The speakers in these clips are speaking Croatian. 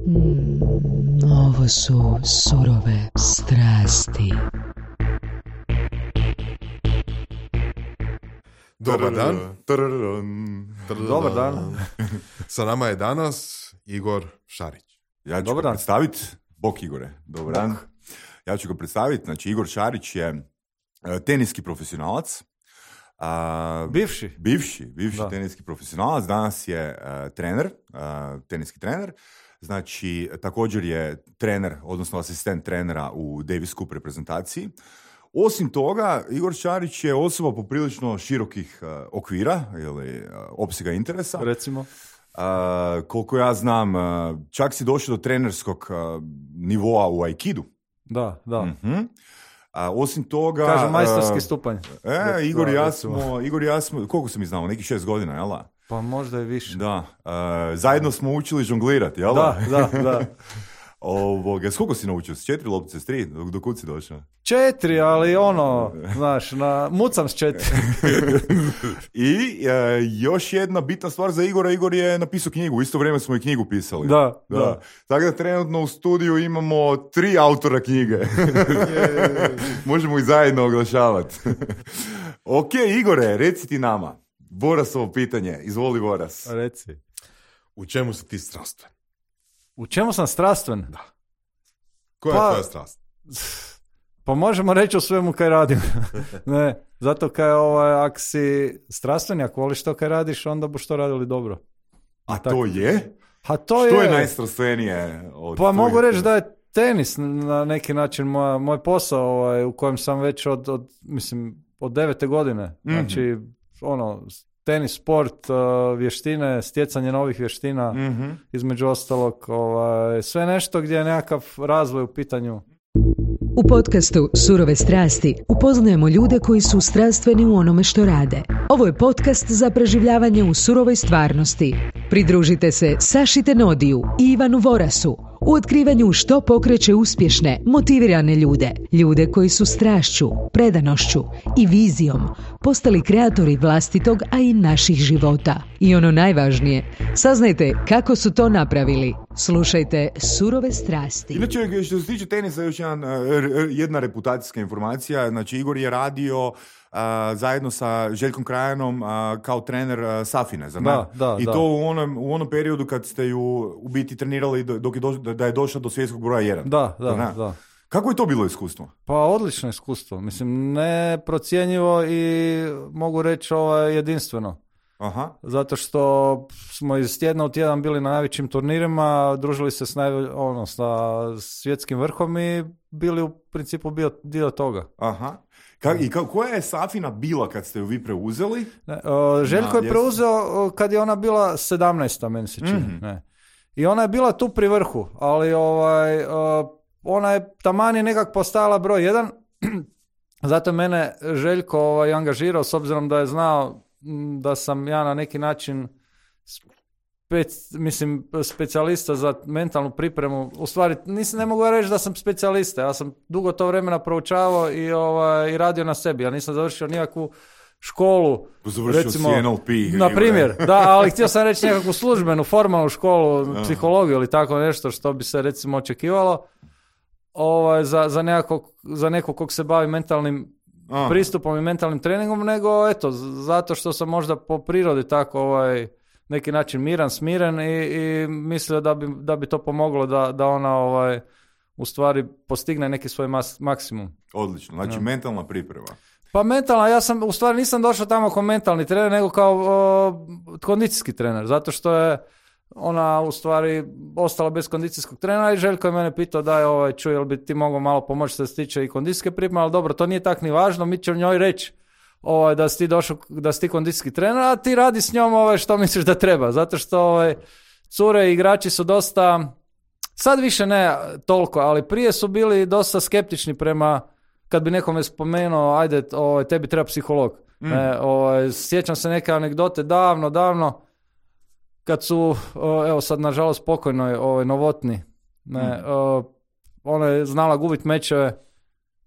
Ovo su surove strasti. Dobar dan. Dobar dan. Sa nama je danas Igor Šarić. Ja ću ga predstaviti. Bok Igore. Dobar dan. Ja ću ga predstaviti. Znači, Igor Šarić je teniski profesionalac. Bivši teniski profesionalac. Danas je trener, teniski trener. Znači, također je trener, odnosno asistent trenera u Davis Cup reprezentaciji. Osim toga, Igor Šarić je osoba poprilično širokih okvira ili opsega interesa. Recimo? Koliko ja znam, čak si došao do trenerskog nivoa u Aikidu. Da. Mm-hmm. Osim toga... Kažem, majstorski stupanj. Igor i ja smo, koliko sam ih znao, nekih 6 godina, jel da? Pa možda i više. Da. Zajedno smo učili žonglirati, jel da? Da. Koliko si naučio? S 4 loptice, s 3? Do kud si došao? 4, ali znaš, mucam s 4. I još jedna bitna stvar za Igora. Igor je napisao knjigu, u isto vrijeme smo i knjigu pisali. Da. Tako da trenutno u studiju imamo 3 autora knjige. Možemo ih zajedno oglašavati. Ok, Igore, reci ti nama. Borasovo pitanje. Izvoli, Boras. Reci. U čemu si ti strastven? U čemu sam strastven? Da. Koja je tvoja strast? Pa možemo reći o svemu kaj radim. Ne, zato kaj ako si strastven, ako voliš to kaj radiš, onda boš to radili dobro. A to je? Što je najstrastvenije? Pa mogu reći da je tenis na neki način moj posao u kojem sam već od 9. godine. Znači, tenis, sport, vještine, stjecanje novih vještina, između ostalog, sve nešto gdje je nekakav razvoj u pitanju. U podcastu Surove strasti upoznajemo ljude koji su strastveni u onome što rade. Ovo je podcast za preživljavanje u surovoj stvarnosti. Pridružite se Saši Tenodiju i Ivanu Vorasu u otkrivanju što pokreće uspješne, motivirane ljude. Ljude koji su strašću, predanošću i vizijom postali kreatori vlastitog, a i naših života. I ono najvažnije, saznajte kako su to napravili. Slušajte Surove strasti. Inače, što se tiče tenisa, još jedna reputacijska informacija. Znači, Igor je radio zajedno sa Željkom Krajanom kao trener Safine, zar ne? Da. I to u onom periodu kad ste ju u biti trenirali da je došla do svjetskog broja 1. Da. Kako je to bilo iskustvo? Pa odlično iskustvo. Mislim, neprocjenjivo i mogu reći jedinstveno. Aha. Zato što smo iz tjedna u tjedan bili na najvećim turnirima, družili se sa svjetskim vrhom i bili u principu bio dio toga. Aha. Koja je Safina bila kad ste ju vi preuzeli? Željko je preuzeo kad je ona bila 17. meni se čini. Mm-hmm. I ona je bila tu pri vrhu, ali ona je taman je nekak postala broj 1. Zato je mene Željko angažirao, s obzirom da je znao da sam ja na neki način specijalista za mentalnu pripremu. U stvari, ne mogu reći da sam specijalista. Ja sam dugo to vremena proučavao i radio na sebi. Ja nisam završio nikakvu školu. Recimo, NLP. Na primjer, da, ali htio sam reći nekakvu službenu, formalnu školu, psihologiju ili tako nešto što bi se recimo očekivalo za nekog kog se bavi mentalnim pristupom i mentalnim treningom, nego zato što sam možda po prirodi tako neki način miran, smiren i mislio da bi to pomoglo da ona u stvari postigne neki svoj maksimum. Odlično, znači mentalna priprema. Pa mentalna, ja sam u stvari nisam došao tamo kao mentalni trener, nego kao kondicijski trener, zato što je ona u stvari ostala bez kondicijskog trenera i Željko je mene pitao čuj, jel bi ti mogao malo pomoći što se tiče i kondicijske pripreme, ali dobro, to nije tak ni važno, mi ćemo njoj reći da si ti kondicijski trener, a ti radi s njom što misliš da treba, zato što cure i igrači su dosta, sad više ne toliko, ali prije su bili dosta skeptični prema, kad bi nekome spomenuo, ajde, tebi treba psiholog. Sjećam se neke anegdote davno, kad su, evo sad nažalost pokojnoj Novotni, ona je znala gubiti mečeve,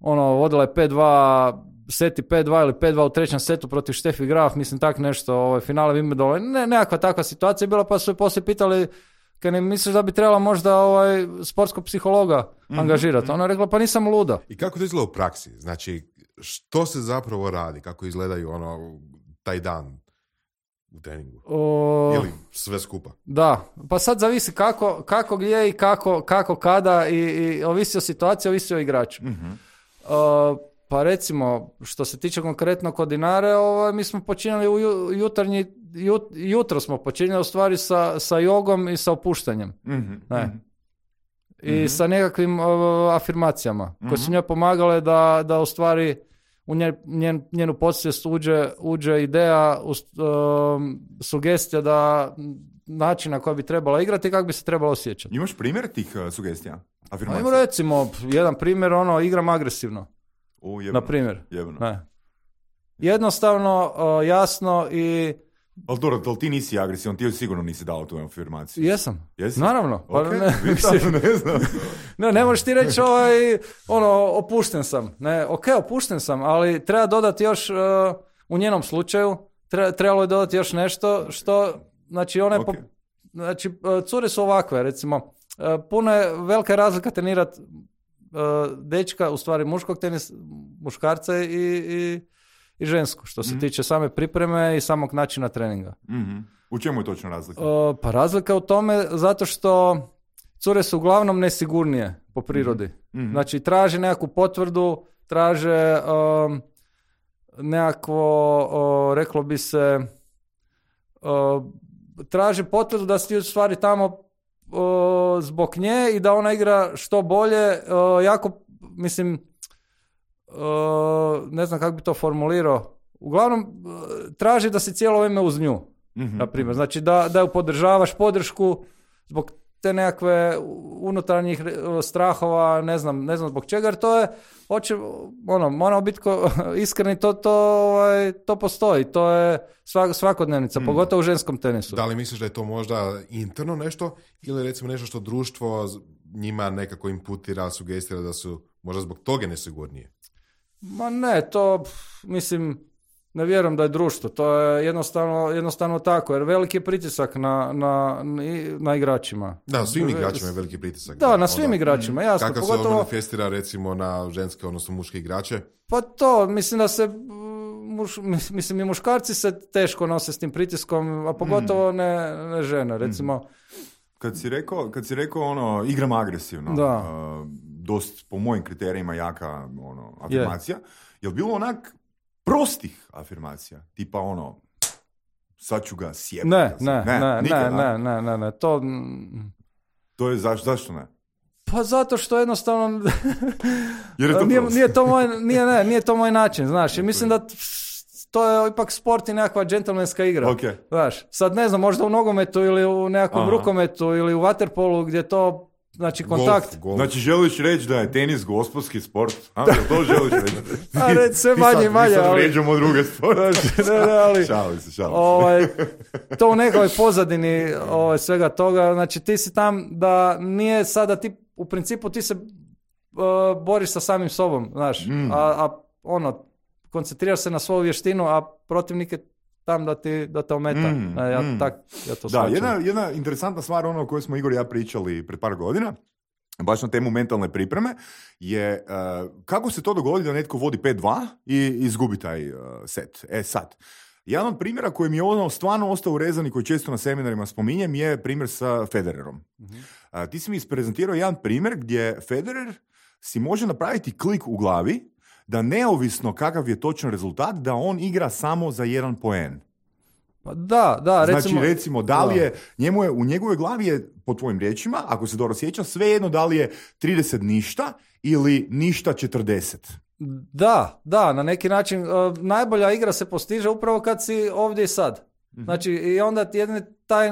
vodila je 5-2, seti 5-2 ili 5-2 u trećem setu protiv Steffi Graf, mislim tak nešto, finale Wimbledona, nekakva takva situacija je bila, pa su je poslije pitali kaj ne misliš da bi trebala možda sportskog psihologa angažirati? Ona je rekla, pa nisam luda. I kako to izgleda u praksi? Znači, što se zapravo radi? Kako izgledaju taj dan u treningu? Ili sve skupa? Da, pa sad zavisi kako gdje i kako kada i ovisi o situaciji, ovisi o igraču. Pa recimo, što se tiče konkretno kod Dinare, mi smo počinjali jutro smo počinjali u stvari sa jogom i sa opuštanjem. I sa nekakvim afirmacijama koje su njoj pomagale da u stvari u njenu podsvijest uđe ideja, sugestija da način na koji bi trebala igrati i kako bi se trebala osjećati. Imaš primjer tih sugestija? Afirmacija? Ajmo recimo, jedan primjer, igram agresivno. Na primjer. Jednostavno, jasno i... Ali dobro, ti nisi agresivan, ti sigurno nisi dao tu afirmaciju. Jesam. Jesi? Naravno. Pa Okay. Ne znam. Ne možeš ti reći opušten sam. Ne, opušten sam, ali treba dodati još u njenom slučaju, trebalo je dodati još nešto što, znači znači cure su ovakve, recimo, puno je velika razlika trenirati dečka, u stvari muškarca i žensku, što se tiče same pripreme i samog načina treninga. U čemu je točno razlika? Pa razlika u tome zato što cure su uglavnom nesigurnije po prirodi. Znači traže nekakvu potvrdu, traže nekakvo, reklo bi se, traže potvrdu da si u stvari tamo zbog nje i da ona igra što bolje, jako, mislim, ne znam kako bi to formulirao. Uglavnom, traži da si cijelo vrijeme uz nju, na primjer. Znači da ju podržavaš, podršku zbog te nekakve unutarnjih strahova, ne znam zbog čega, jer to je, moramo biti iskreni, to postoji, to je svakodnevnica, pogotovo u ženskom tenisu. Da li misliš da je to možda interno nešto ili recimo nešto što društvo njima nekako imputira, sugestira da su možda zbog toga nesigurnije? Ma ne, to mislim, ne vjerujem da je društvo, to je jednostavno tako, jer veliki je pritisak na igračima. Da, svim igračima je veliki pritisak. Da, na svim igračima, jasno. Kako se manifestira recimo na ženske, odnosno muške igrače? Pa to, mislim da se, i muškarci se teško nose s tim pritiskom, a pogotovo ne žene, recimo. Kad si rekao igram agresivno, dost po mojim kriterijima jaka afirmacija, je li bilo onak prostih afirmacija, tipa sad ću ga sjebati? Ne, to je zašto ne? Pa zato što jednostavno jer je to nije to moj način, znaš, i mislim da to je ipak sport i nekakva džentlmenska igra. Okay. Znaš, sad ne znam, možda u nogometu ili u nekakvom rukometu ili u vaterpolu gdje to, znači kontakt. Golf. Znači želiš reći da je tenis gospodski sport? To želiš reći? Sve manje, ali... vrijeđamo druge sporte. Šali se. To u nekoj pozadini svega toga, znači ti si tam da nije sada ti, u principu ti se boriš sa samim sobom, znaš, a koncentriraš se na svoju vještinu, a protivnik je tam da te ometa. Ja to shvaćam. Jedna interesantna stvar, o kojoj smo Igor i ja pričali pred par godina, baš na temu mentalne pripreme, je kako se to dogodi da netko vodi 5-2 i izgubi taj set. Sad, jedan od primjera koji mi je stvarno ostao urezan i koji često na seminarima spominjem je primjer sa Federerom. Ti si mi isprezentirao jedan primjer gdje Federer si može napraviti klik u glavi da neovisno kakav je točan rezultat, da on igra samo za 1 poen. Pa da, recimo da li je, u njegovoj glavi je, po tvojim riječima, ako se dobro sjeća, svejedno da li je 30 ništa ili ništa 40. Da, na neki način najbolja igra se postiže upravo kad si ovdje i sad. Znači, i onda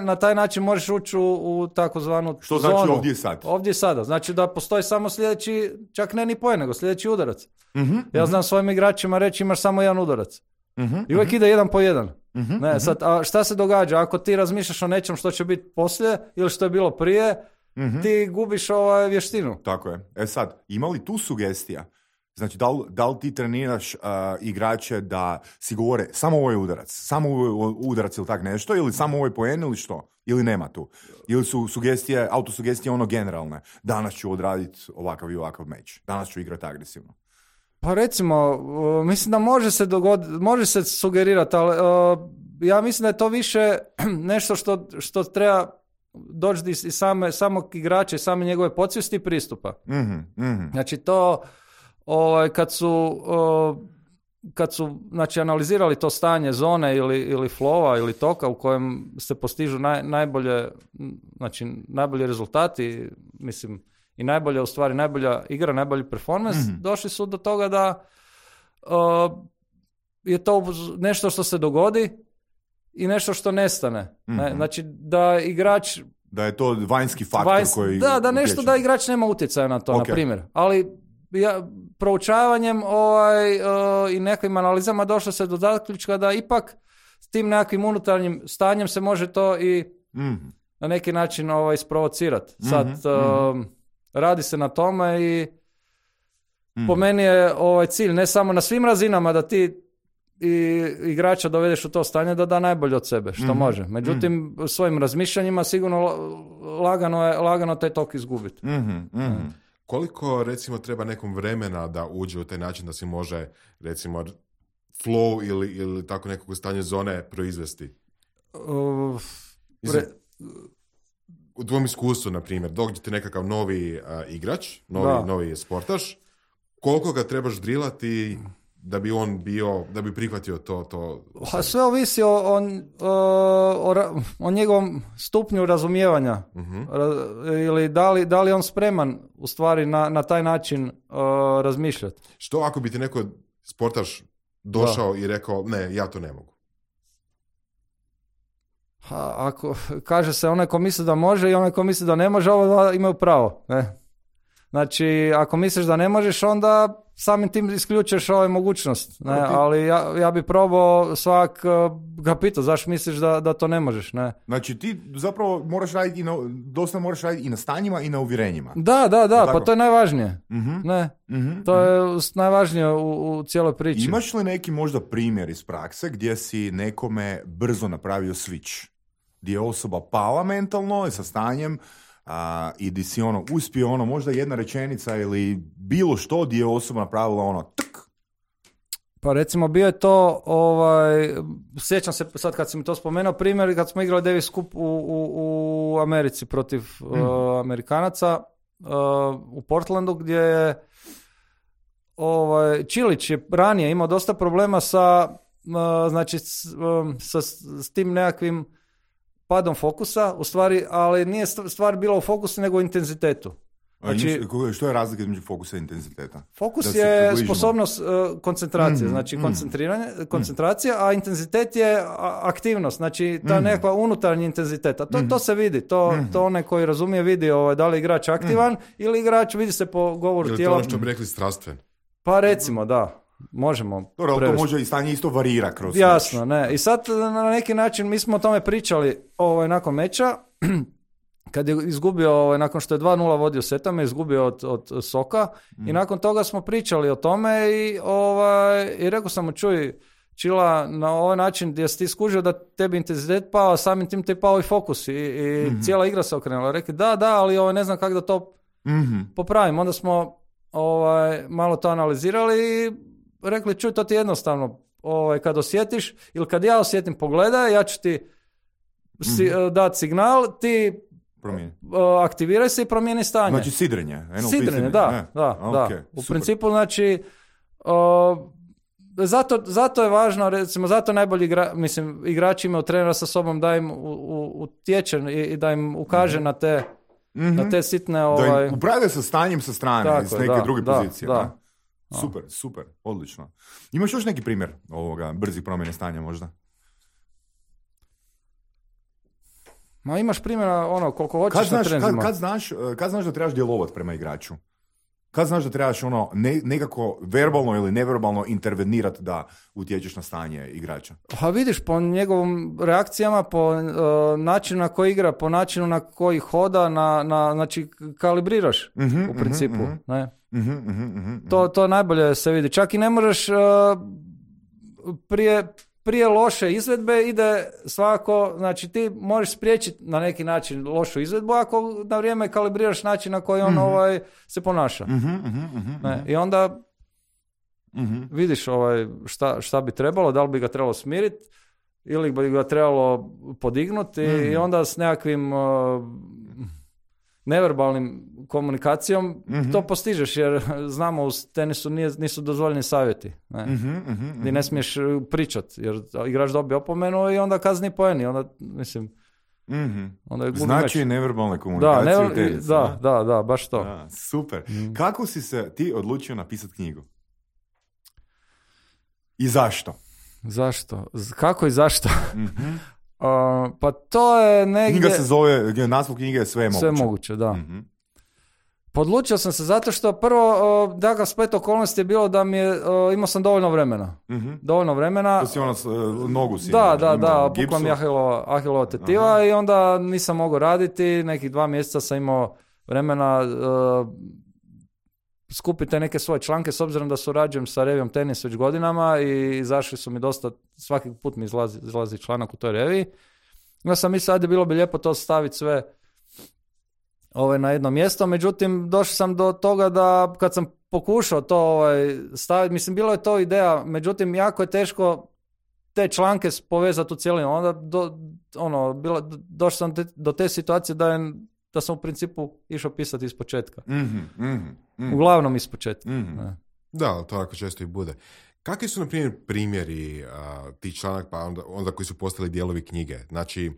na taj način možeš ući u takozvanu što zonu. Znači ovdje i sad? Ovdje i sada. Znači da postoji samo sljedeći, čak ne ni poen, nego sljedeći udarac. Ja znam svojim igračima reći imaš samo 1 udarac. I uvijek ide 1 po 1. Sad, a šta se događa? Ako ti razmišljaš o nečem što će biti poslije ili što je bilo prije, ti gubiš vještinu. Tako je. Sad, ima li tu sugestija Znači, da li ti treniraš igrače da si govore samo ovo je udarac, samo ovo je udarac ili tak nešto, ili samo ovo je poen ili što? Ili nema tu? Ili su sugestije, autosugestije ono generalne? Danas ću odraditi ovakav i ovakav meč. Danas ću igrati agresivno. Pa recimo, mislim da može se dogoditi, može se sugerirati, ali ja mislim da je to više nešto što treba doći iz samog igrača i same njegove podsvijesti i pristupa. Znači to kad su znači, analizirali to stanje zone ili flowa ili toka u kojem se postižu najbolji rezultati, mislim, i najbolja u stvari, najbolja igra, najbolji performance, došli su do toga da je to nešto što se dogodi i nešto što nestane. Znači da igrač... Da je to vanjski faktor koji... Da nešto da igrač nema utjecaja na to, na primjer. Ali proučavanjem i nekim analizama došlo se do zaključka da ipak s tim nekakvim unutarnjim stanjem se može to i na neki način isprovocirati. Sad radi se na tome i po meni je cilj ne samo na svim razinama da ti i igrača dovedeš u to stanje da da najbolje od sebe što može. Međutim, svojim razmišljanjima sigurno lagano taj tok izgubiti. Koliko, recimo, treba nekom vremena da uđe u taj način da se može, recimo, flow ili tako nekog stanje zone proizvesti? U tvojom iskustvu, na primjer, dođete nekakav novi igrač, novi sportaš, koliko ga trebaš drilati da bi on da bi prihvatio to? Sve ovisi o njegovom stupnju razumijevanja. Ili da li on spreman u stvari na taj način razmišljati. Što ako bi ti neko sportaš došao i rekao, ne, ja to ne mogu? Ako kaže se onaj ko misli da može i onaj ko misli da ne može, ovo imaju pravo. Ne? Znači, ako misliš da ne možeš, onda samim tim isključuješ mogućnost. Ne? Ali ja bi probao svak ga pitao, zašto misliš da to ne možeš? Ne? Znači, ti zapravo moraš raditi dosta moraš raditi i na stanjima i na uvjerenjima. Da, pa to je najvažnije. Ne? To je najvažnije u cijeloj priči. Imaš li neki možda primjer iz prakse gdje si nekome brzo napravio switch? Gdje je osoba pala mentalno i sa stanjem i di si uspio možda jedna rečenica ili bilo što gdje je osoba napravila tuk. Pa recimo bio je to, sjećam se sad kad si mi to spomenuo, primjer kad smo igrali Davis Cup u Americi protiv Amerikanaca u Portlandu, gdje je Čilić je ranije imao dosta problema sa tim nekakvim padom fokusa, u stvari, ali nije stvar bila u fokusu nego u intenzitetu. Znači, što je razlika između fokusa i intenziteta? Fokus je sposobnost koncentracije, znači koncentracija, a intenzitet je aktivnost, znači ta nekakva unutarnji intenzitet. A to se vidi, to onaj koji razumije vidi da li je igrač aktivan ili igrač vidi se po govoru tijela. Ili to što bi rekli strastven? Pa recimo, da. Možemo. Dobro, ali to može i stanje isto varira kroz jasno, ne. I sad na neki način mi smo o tome pričali nakon meča, kad je izgubio, nakon što je 2-0 vodio setama, izgubio od Soka i nakon toga smo pričali o tome i rekao sam mu, čuj, Čila, na ovaj način gdje si ti skužio da tebi intenzitet pao, samim tim te pao i fokus i cijela igra se okrenula. Rekli, da, ali ne znam kako da to popravim. Onda smo malo to analizirali i rekli, čuj, to ti je jednostavno, kad osjetiš ili kad ja osjetim, pogledaj, ja ću ti dati signal, ti aktiviraj se i promijeni stanje. Znači sidrenje. Sidrenje, da. Okay, u principu, znači, zato je važno, recimo, zato najbolji igrači imaju trenera sa sobom da im utječe i da im ukaže na te sitne... Da im upravlja sa stanjem sa strane, iz neke druge pozicije. Da. Super, odlično. Imaš još neki primjer brzih promjene stanja možda? Ma imaš primjera koliko hoćeš na trenzima. Kad znaš da trebaš djelovati prema igraču? Kad znaš da trebaš nekako verbalno ili neverbalno intervenirati da utječeš na stanje igrača? Pa vidiš, po njegovim reakcijama, po načinu na koji igra, po načinu na koji hoda, znači kalibriraš u principu. Ne? To najbolje se vidi. Čak i ne možeš prije loše izvedbe ide svakako, znači ti možeš spriječiti na neki način lošu izvedbu ako na vrijeme kalibriraš način na koji on se ponaša. I onda vidiš šta bi trebalo, da li bi ga trebalo smiriti ili bi ga trebalo podignuti i onda s nekakvim neverbalnim komunikacijom to postižeš, jer znamo u tenisu nisu dozvoljeni savjeti. Ti ne smiješ pričat, jer igrač dobije opomenu i onda kazni poeni. Onda, mislim, onda je gubi znači meč. Neverbalne komunikacije u tenisu. Da, baš to. Da, super. Kako si se ti odlučio napisati knjigu? I zašto? Zašto? Kako i zašto? Pa to je negdje... Knjiga se zove, naslov knjige je Sve je moguće. Sve je moguće, da. Podlučio sam se zato što prvo, dakle, splet okolnosti je bilo da mi je, imao sam dovoljno vremena. Dovoljno vremena. To si nogu si. Da, pukla mi ahilova tetiva i onda nisam mogao raditi, nekih 2 mjeseca sam imao vremena skupite neke svoje članke, s obzirom da surađujem sa revijom Tenis već godinama i izašli su mi dosta, svaki put mi izlazi članak u toj reviji. Ja sam mislio, ajde, bilo bi lijepo to staviti sve na jedno mjesto, međutim došao sam do toga da kad sam pokušao to staviti, mislim bilo je to ideja, međutim jako je teško te članke povezati u cijelinu. Onda došao sam do te situacije da sam u principu išao pisati iz početka. Uglavnom iz početka. Da, to tako često i bude. Kakvi su, na primjer, primjeri tih članak, pa onda koji su postali dijelovi knjige? Znači,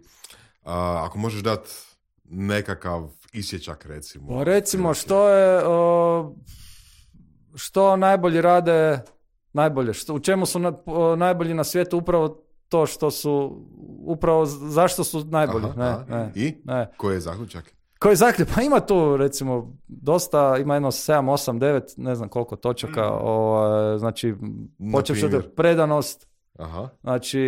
ako možeš dati nekakav isječak, recimo. Recimo, što najbolji rade najbolje? U čemu su najbolji na svijetu? Upravo to što su, upravo zašto su najbolji. I? Koji je zaključak? Koji zaključak? Pa ima tu, recimo, dosta, ima jedno 7, 8, 9, ne znam koliko točaka, znači, počevši od predanost, znači,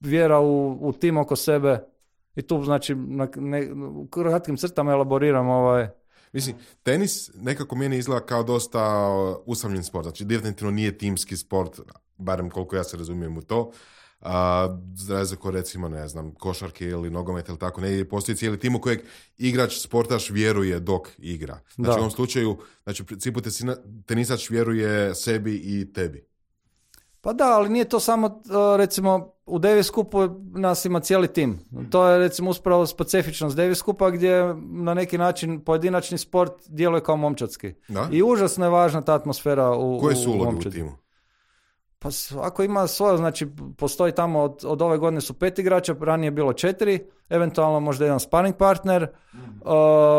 vjera u tim oko sebe i tu, znači, u kratkim crtama elaboriram Mislim, tenis nekako meni izgleda kao dosta usamljen sport, znači definitivno nije timski sport, barem koliko ja se razumijem u to. Za razliku, recimo, ne znam, košarke ili nogomet ili tako, ne postoji cijeli tim u kojeg igrač, sportaš vjeruje dok igra. Znači u ovom slučaju, znači u principu tenisač vjeruje sebi i tebi. Pa da, ali nije to samo, recimo, u Davis Cupu nas ima cijeli tim. To je, recimo, uspravo specifičnost Davis Cupa gdje na neki način pojedinačni sport djeluje kao momčadski. Da? I užasno je važna ta atmosfera u koje su uloge u timu? Pa ako ima svoje, znači postoji tamo od ove godine su 5 igrača, ranije je bilo 4, eventualno možda jedan sparring partner.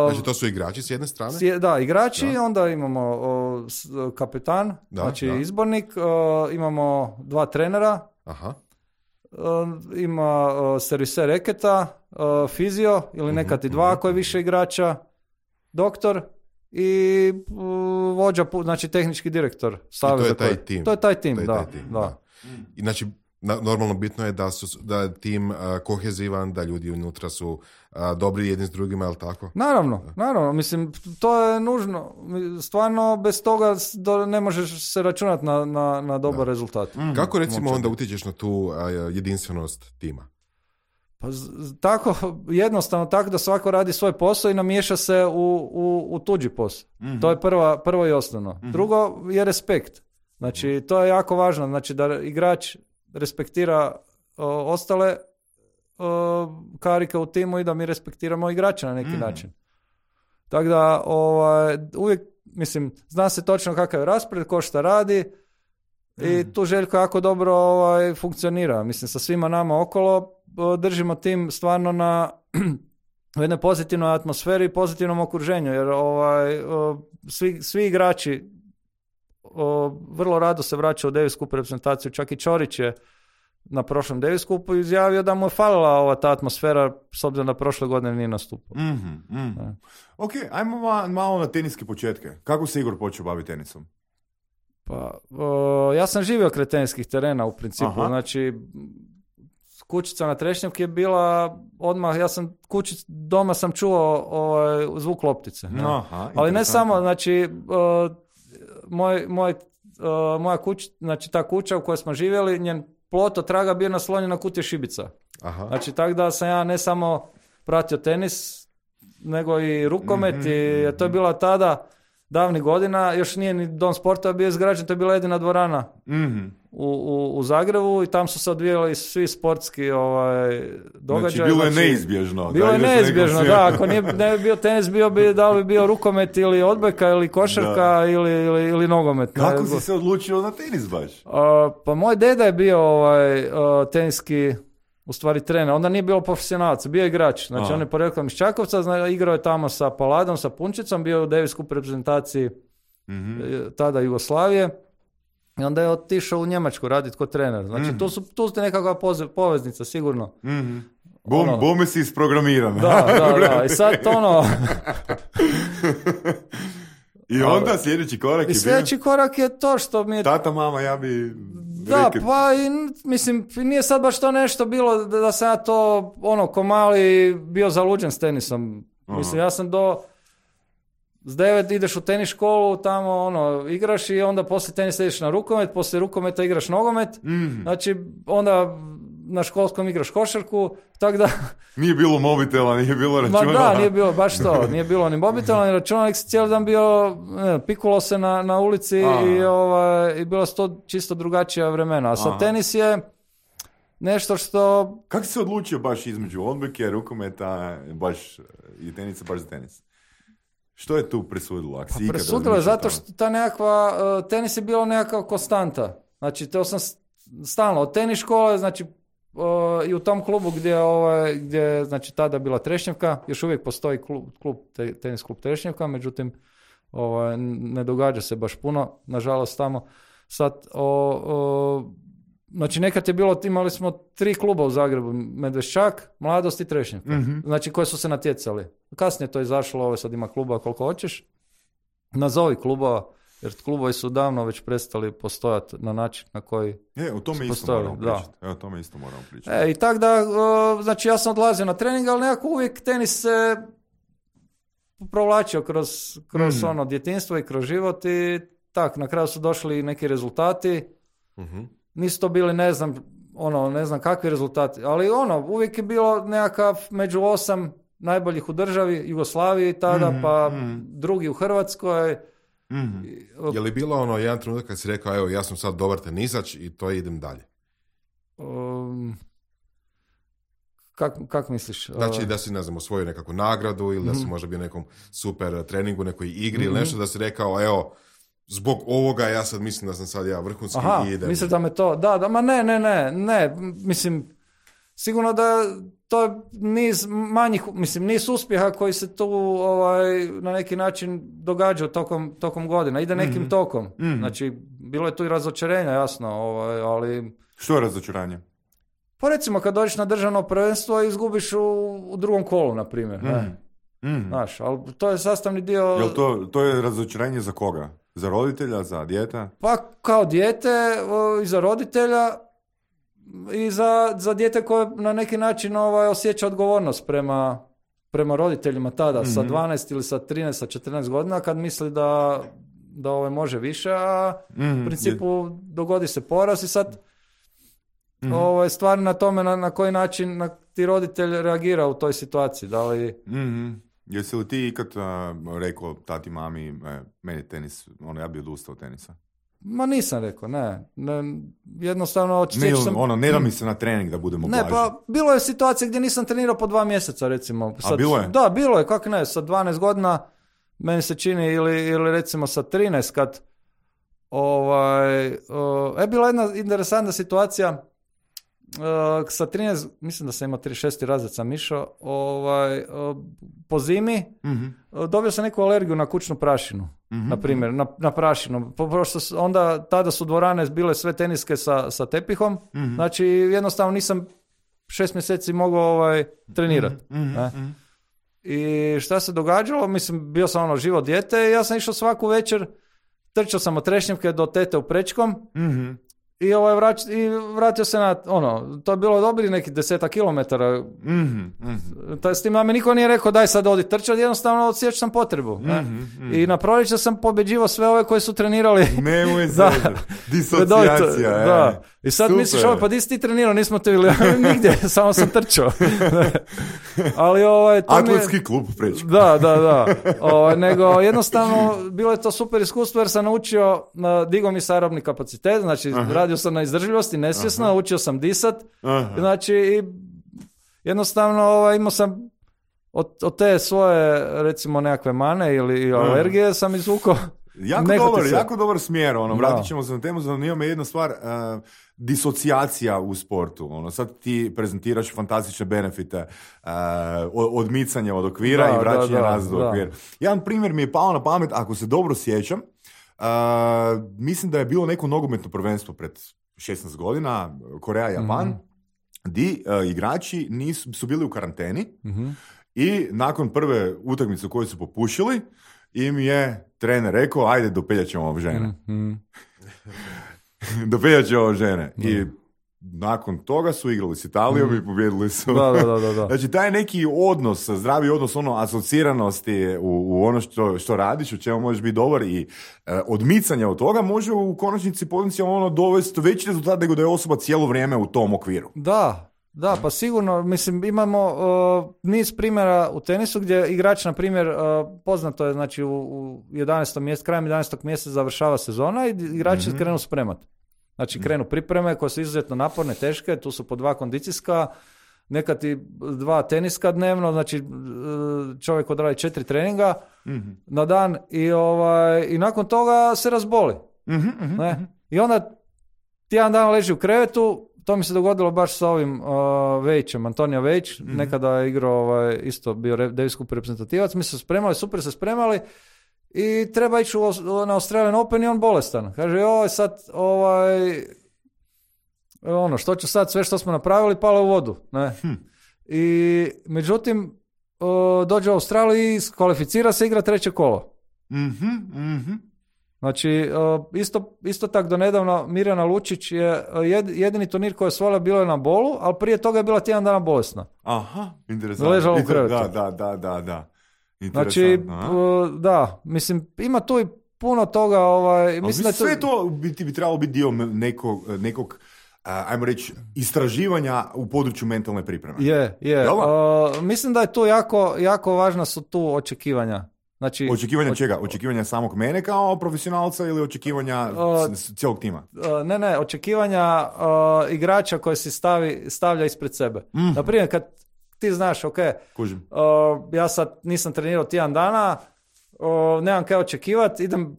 Znači to su igrači s jedne strane? Igrači, onda imamo kapetan, izbornik, imamo 2 trenera, ima serviser reketa, fizio ili nekad i 2 ako je više igrača, doktor i vođa, znači tehnički direktor saveza. I to je taj tim. To je taj tim, da. I znači, normalno bitno je da je tim kohezivan, da ljudi unutra su dobri jedni s drugima, je li tako? Naravno, mislim, to je nužno. Stvarno, bez toga ne možeš se računati na dobar rezultat. Kako, recimo, onda utječeš na tu jedinstvenost tima? Pa tako, jednostavno tako da svako radi svoj posao i namiješa se u tuđi posao. To je prvo i osnovno. Drugo je respekt. Znači, to je jako važno. Znači, da igrač respektira ostale karike u timu i da mi respektiramo igrača na neki način. Tako da, uvijek, mislim, zna se točno kakav je raspored, ko šta radi i tu Željko jako dobro funkcionira. Mislim, sa svima nama okolo držimo tim stvarno u jednoj pozitivnoj atmosferi i pozitivnom okruženju, jer svi igrači vrlo rado se vraćaju u Davis Cup reprezentaciju, čak i Ćorić je na prošlom Davis Cupu izjavio da mu je falila ova ta atmosfera s obzirom da prošle godine nije nastupao. Ok, ajmo malo na teniske početke. Kako se Igor počeo baviti tenisom? Pa, ja sam živio kraj teniskih terena u principu, znači kućica na Trešnjevki je bila odmah, doma sam čuo zvuk loptice. Ali ne samo, znači moja kuća, znači ta kuća u kojoj smo živjeli, njen plot od traga bio naslonjen na kutije šibica. Znači tako da sam ja ne samo pratio tenis, nego i rukomet i to je bila tada davnih godina, još nije ni dom sporta bio izgrađen, to je bila jedina dvorana u Zagrebu i tam su se odvijali svi sportski događaji. Znači, bilo je neizbježno. Bilo je neizbježno, da. Ako ne bi bio tenis, da li bi bio rukomet ili odbojka ili košarka ili nogomet. Kako si se odlučio na tenis baš? Pa moj deda je bio teniski u stvari trener, onda nije bio profesionalac, bio je igrač. Znači on je poreklom iz Čakovca, igrao je tamo sa Paladom, sa Punčicom, bio je u Davis Cup reprezentaciji tada Jugoslavije i onda je otišao u Njemačku raditi kao trener. Znači tu ste nekakva poveznica, sigurno. Bome si isprogramiran. Da. I sad I onda sljedeći korak je bio? Sljedeći korak je to što mi je... Tata, mama, ja bi... Da, pa mislim, nije sad baš to nešto bilo da sam ja to, ko mali bio zaluđen s tenisom. Mislim, ja sam s 9 ideš u tenis školu, tamo igraš i onda poslije tenisa ideš na rukomet, poslije rukometa igraš nogomet, znači onda na školskom igraš košarku, tako da... Nije bilo mobitela, nije bilo računala. Ma da, nije bilo baš to, nije bilo ni mobitela, ni računala, nek si cijeli dan bio, pikulo se na ulici i bilo su to čisto drugačija vremena. A sad tenis je nešto što... Kako si se odlučio baš između odbojke, rukometa, baš i tenisa, baš za tenis? Što je tu presudilo? Presudilo je zato što ta nekakva, tenis je bilo nekakva konstanta. Znači, to sam stalno od tenis škole, znači i u tom klubu gdje znači tada bila Trešnjevka, još uvijek postoji tenis klub Trešnjevka, međutim ne događa se baš puno, nažalost tamo. Sad, znači nekad je bilo, imali smo 3 kluba u Zagrebu, Medveščak, Mladost i Trešnjevka, znači koji su se natjecali. Kasnije to izašlo, sad ima kluba koliko hoćeš, nazovi klubova, jer klubovi su davno već prestali postojati na način na koji o tome isto moramo pričati. O tome isto moramo pričati. I tako da, znači ja sam odlazio na trening, ali nekako uvijek tenis se provlačio kroz djetinjstvo i kroz život i tak, na kraju su došli neki rezultati. Nisu to bili, ne znam kakvi rezultati, ali uvijek je bilo nekakav među 8 najboljih u državi, Jugoslaviji tada, pa drugi u Hrvatskoj. Je li bilo jedan trenutak kad si rekao, evo, ja sam sad dobar tenisač i to idem dalje? Kak misliš? Znači da si, ne znam, osvojio nekakvu nagradu ili da si možda bio nekom super treningu, nekoj igri ili nešto, da si rekao, evo, zbog ovoga ja sad mislim da sam sad ja vrhunski i idem. Misliš da me to, ma ne, mislim, sigurno da to je niz manjih, mislim, niz uspjeha koji se tu na neki način događaju tokom godina, ide nekim tokom. Znači, bilo je tu i razočarenja, jasno, ali... Što je razočaranje? Pa recimo, kad dođeš na državno prvenstvo i izgubiš u drugom kolu, na primjer. Znaš, ali to je sastavni dio... Jel to je razočaranje za koga? Za roditelja, za dijete? Pa kao dijete i za roditelja i za dijete koje na neki način osjeća odgovornost prema roditeljima tada, sa 12 ili sa 13, sa 14 godina, kad misli da može više, a u principu dogodi se poraz i sad stvar na tome na koji način ti roditelj reagira u toj situaciji. Da li... Jesi li ti ikad rekao tati, mami, meni tenis, ja bi odustao od tenisa? Ma nisam rekao, ne jednostavno... Ne da mi se na trening da budemo blaži. Ne, pa bilo je situacija gdje nisam trenirao po 2 mjeseca, recimo. A bilo je? Da, bilo je, kako ne, sa 12 godina, meni se čini, ili recimo sa 13, kad bila jedna interesantna situacija, sa 13, mislim da sam imao 36. razred sam išao, po zimi dobio sam neku alergiju na kućnu prašinu, na primjer, na prašinu. Onda, tada su dvorane bile sve teniske sa tepihom, znači jednostavno nisam 6 mjeseci mogao trenirati. I šta se događalo? Mislim, bio sam živo dijete i ja sam išao svaku večer, trčao sam od Trešnjevke do tete u Prečkom, i vratio se na, to je bilo dobri neki 10 kilometara. S tim da mi niko nije rekao daj sad odi trčati, jednostavno osjećao sam potrebu. I na proljeće sam pobjeđivao sve ove koji su trenirali. Nemoj zezati. Disocijacija. Da. I sad misliš, pa di si ti trenirao, nismo te vidjeli nigdje, samo sam trčao. Ali Atletski klub Prečko. Da. Nego jednostavno bilo je to super iskustvo jer sam naučio, digao mi se aerobni kapacitet, znači radio sam na izdržljivosti, nesvjesno, učio sam disat, znači jednostavno imao sam od te svoje recimo nekakve mane ili alergije sam izvukao. Jako dobar smjer, vratit ćemo se na temu, zanima me jedna stvar, disocijacija u sportu, sad ti prezentiraš fantastične benefite, odmicanje od okvira i vraćanje nazad do okvira. Jedan primjer mi je pao na pamet, ako se dobro sjećam, mislim da je bilo neko nogometno prvenstvo pred 16 godina, Koreja-Japan, di igrači su bili u karanteni i nakon prve utakmice koju su popušili, im je trener rekao, ajde dopeljat ćemo žene. Dopeljat ćemo žene. I nakon toga su igrali s Italijom i pobjedili su. Da. Znači, taj neki odnos, zdravi odnos, asociranosti u ono što radiš, u čemu možeš biti dobar i odmicanje od toga može u konačnici potencijalno dovesti veći rezultat nego da je osoba cijelo vrijeme u tom okviru. Da, pa sigurno, mislim, imamo niz primjera u tenisu gdje igrač, na primjer, poznato je, znači u 11. mjesecu, krajem 11. mjeseca završava sezona i igrači krenu spremati. Znači, krenu pripreme koje su izuzetno naporne, teške, tu su po 2 kondicijska, nekad i 2 teniska dnevno, znači čovjek odradi 4 treninga na dan i nakon toga se razboli. Ne? I onda tjedan dana leži u krevetu. To mi se dogodilo baš sa ovim Vejićem, Antonio Vejić, nekada je igrao, isto bio Davis Cup reprezentativac, mi se spremali, super se spremali i treba ići na Australian Open i on bolestan. Kaže, sad, što ću sad, sve što smo napravili, palo u vodu. Ne? I međutim, dođe u Australiju i kvalificira se, igra 3. kolo. Znači, isto tak do nedavno Mirjana Lučić je jedini turnir koji je osvojila bilo je na bolu, ali prije toga je bila tjedan dana bolesna. Aha, interesantno. Ležala u krevetu. Da. Znači, mislim, ima tu i puno toga. Mislim da sve to bi trebalo biti dio nekog ajmo reći, istraživanja u području mentalne pripreme. Je. Mislim da je tu jako važna su tu očekivanja. Znači, očekivanja čega? Očekivanja samog mene kao profesionalca ili očekivanja cijelog tima? Ne, očekivanja igrača koje si stavlja ispred sebe. Naprimjer, kad ti znaš, ja sad nisam trenirao tjedan dana, nemam kaj očekivati, idem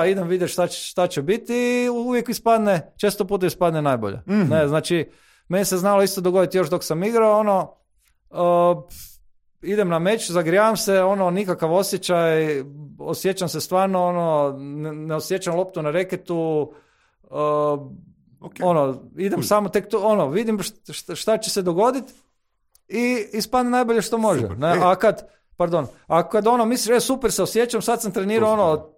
idem vidjeti šta će biti i uvijek često puta ispadne najbolje. Ne, znači, meni se znalo isto dogoditi još dok sam igrao, idem na meč, zagrijavam se, nikakav osjećaj, osjećam se stvarno, ne osjećam loptu na reketu, idem samo tek to, vidim šta će se dogoditi i ispadne najbolje što može. Ne? A kad misliš, super se osjećam, sad sam trenirao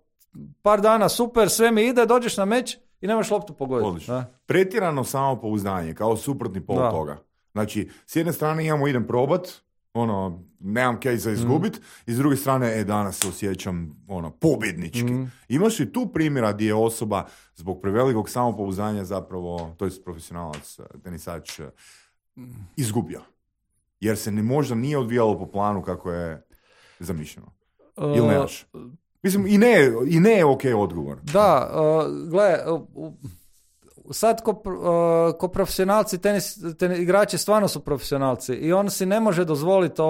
par dana, super, sve mi ide, dođeš na meč i nemaš loptu pogoditi. Pretjerano samopouzdanje, kao suprotni pol toga. Znači, s jedne strane idem probat, nemam kaj za izgubit, i s druge strane, danas se osjećam, pobjednički. Imaš i tu primjera gdje je osoba zbog prevelikog samopouzdanja zapravo, to je profesionalac, tenisač, izgubio. Jer se možda nije odvijalo po planu kako je zamišljeno. Ili nemaš? Mislim, i ne je okej odgovor. Da, gle, sad ko profesionalci, igrači stvarno su profesionalci i on si ne može dozvoliti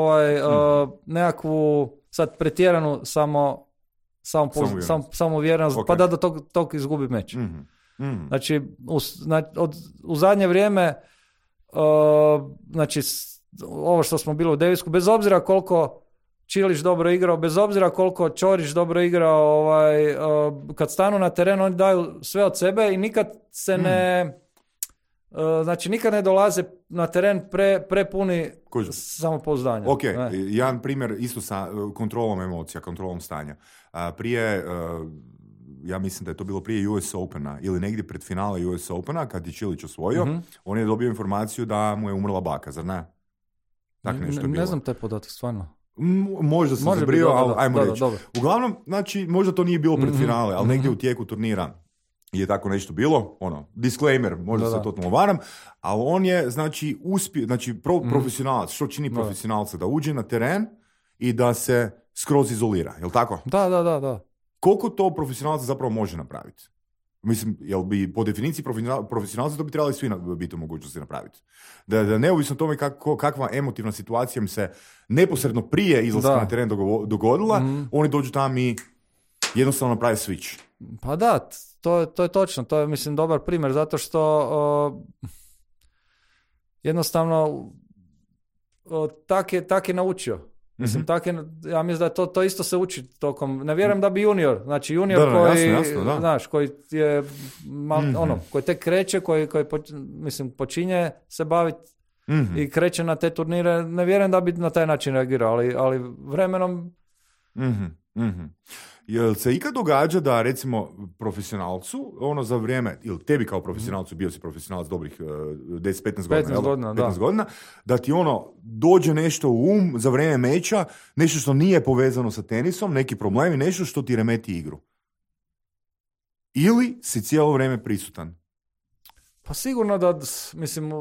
nekakvu sad pretjeranu samouvjerenost, pa da do tog izgubi meč. Znači, u zadnje vrijeme, znači, ovo što smo bili u Davisku, bez obzira koliko Čilić dobro igrao, bez obzira koliko Ćorić dobro igrao, kad stanu na teren, oni daju sve od sebe i nikad se znači nikad ne dolaze na teren prepuni samopouzdanja. Ok, jedan primjer isto sa kontrolom emocija, kontrolom stanja. Prije, ja mislim da je to bilo prije US Opena ili negdje pred finale US Opena, kad je Čilić osvojio, on je dobio informaciju da mu je umrla baka, zar ne? Tak nešto je bilo. Ne znam taj podatak, stvarno. Možda sam zabrio, ali ajmo reći. Uglavnom, znači, možda to nije bilo pred finale, ali negdje u tijeku turnira je tako nešto bilo, disclaimer, možda se totalno varam, ali on je, znači, uspio, znači, profesionalac, što čini profesionalca? Da uđe na teren i da se skroz izolira, jel tako? Da. Koliko to profesionalac zapravo može napraviti? Mislim, jel bi po definiciji profesionalci to bi trebali svi biti u mogućnosti napraviti. Da neovisno o tome kakva emotivna situacija im se neposredno prije izlaska na teren dogodila, oni dođu tamo i jednostavno naprave switch. Pa da, to je točno. To je, mislim, dobar primjer, zato što jednostavno tak je naučio. Mislim, ja mislim da to isto se uči tokom, ne vjerujem da bi junior koji, jasno, znaš, koji je, koji tek kreće, koji mislim, počinje se baviti i kreće na te turnire, ne vjerujem da bi na taj način reagirao, ali vremenom... Jel se ikad događa da, recimo, profesionalcu, za vrijeme, ili tebi kao profesionalcu, bio si profesionalac dobrih 10-15 godina, 15 godina, da ti dođe nešto u za vrijeme meča, nešto što nije povezano sa tenisom, neki problemi, nešto što ti remeti igru? Ili si cijelo vrijeme prisutan? Pa sigurno da, mislim,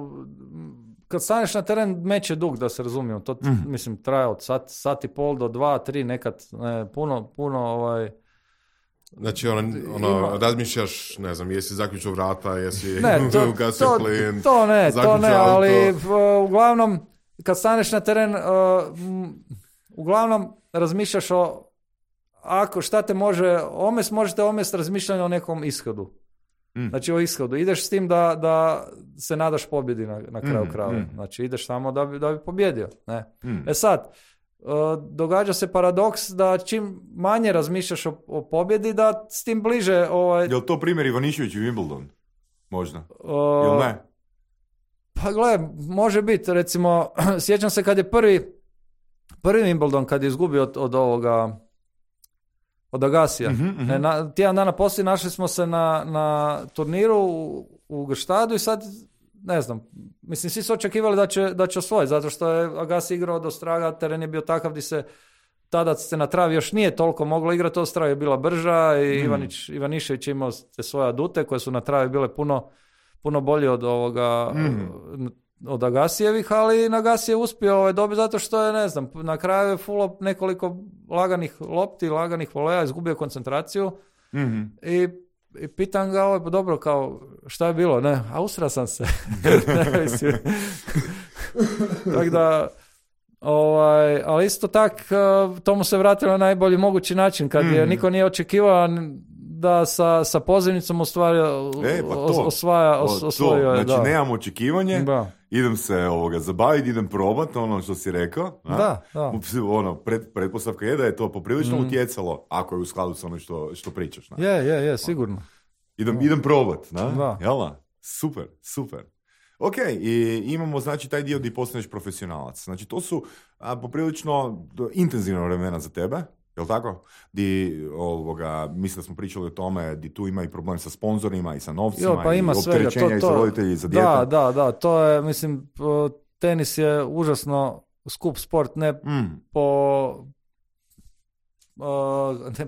kad staneš na teren, meč je dug, da se razumijemo. To, mislim, traje od sat i pol do 2-3, nekad puno Znači, razmišljaš, ne znam, jesi zaključio vrata, jesi ugasio plin, to ne, ali uglavnom, kad staneš na teren, uglavnom razmišljaš šta te možete omest razmišljanje o nekom ishodu. Znači o ishodu. Ideš s tim da se nadaš pobjedi na kraju krajeva. Znači ideš samo da bi pobjedio. Ne? Sad, događa se paradoks da čim manje razmišljaš o pobjedi, da s tim bliže... Je li to primjer Ivanišević i Wimbledon? Možda. Ili ne? Pa gle, može biti. Recimo, sjećam se kad je prvi Wimbledon, kad je izgubio od Agasija. Tjedan dana poslije našli smo se na turniru u Grštadu i sad, ne znam, mislim, svi su očekivali da će osvojiti, zato što je Agassi igrao do Straga, teren je bio takav gdje tada se na travi još nije toliko moglo igrati, od Straga je bila brža i Ivanišević imao te svoje adute koje su na travi bile puno bolje od Agassijevih, ali Agassi je uspio dobiti zato što je, ne znam, na kraju je fullo nekoliko laganih lopti, laganih voleja, izgubio koncentraciju i pitam ga, dobro, kao, šta je bilo? Ne, a usra sam se. Tako da, ali isto tak, to mu se vratilo na najbolji mogući način, kad je niko nije očekivao da sa pozivnicom osvojio. Znači, nemam očekivanje, idem se zabaviti, idem probati ono što si rekao. Da. Pretpostavka je da je to poprilično utjecalo, ako je u skladu s ono što pričaš. Je, sigurno. Idem probati, Jela? Super. Ok, i imamo, znači, taj dio gdje postaneš profesionalac. Znači, to su poprilično intenzivna vremena za tebe. Jel' tako? Mislim da smo pričali o tome, di tu ima i problem sa sponzorima i sa novcima, pa ima i opterećenja i za roditelji i za djeta. Da, to je, mislim, tenis je užasno skup sport, ne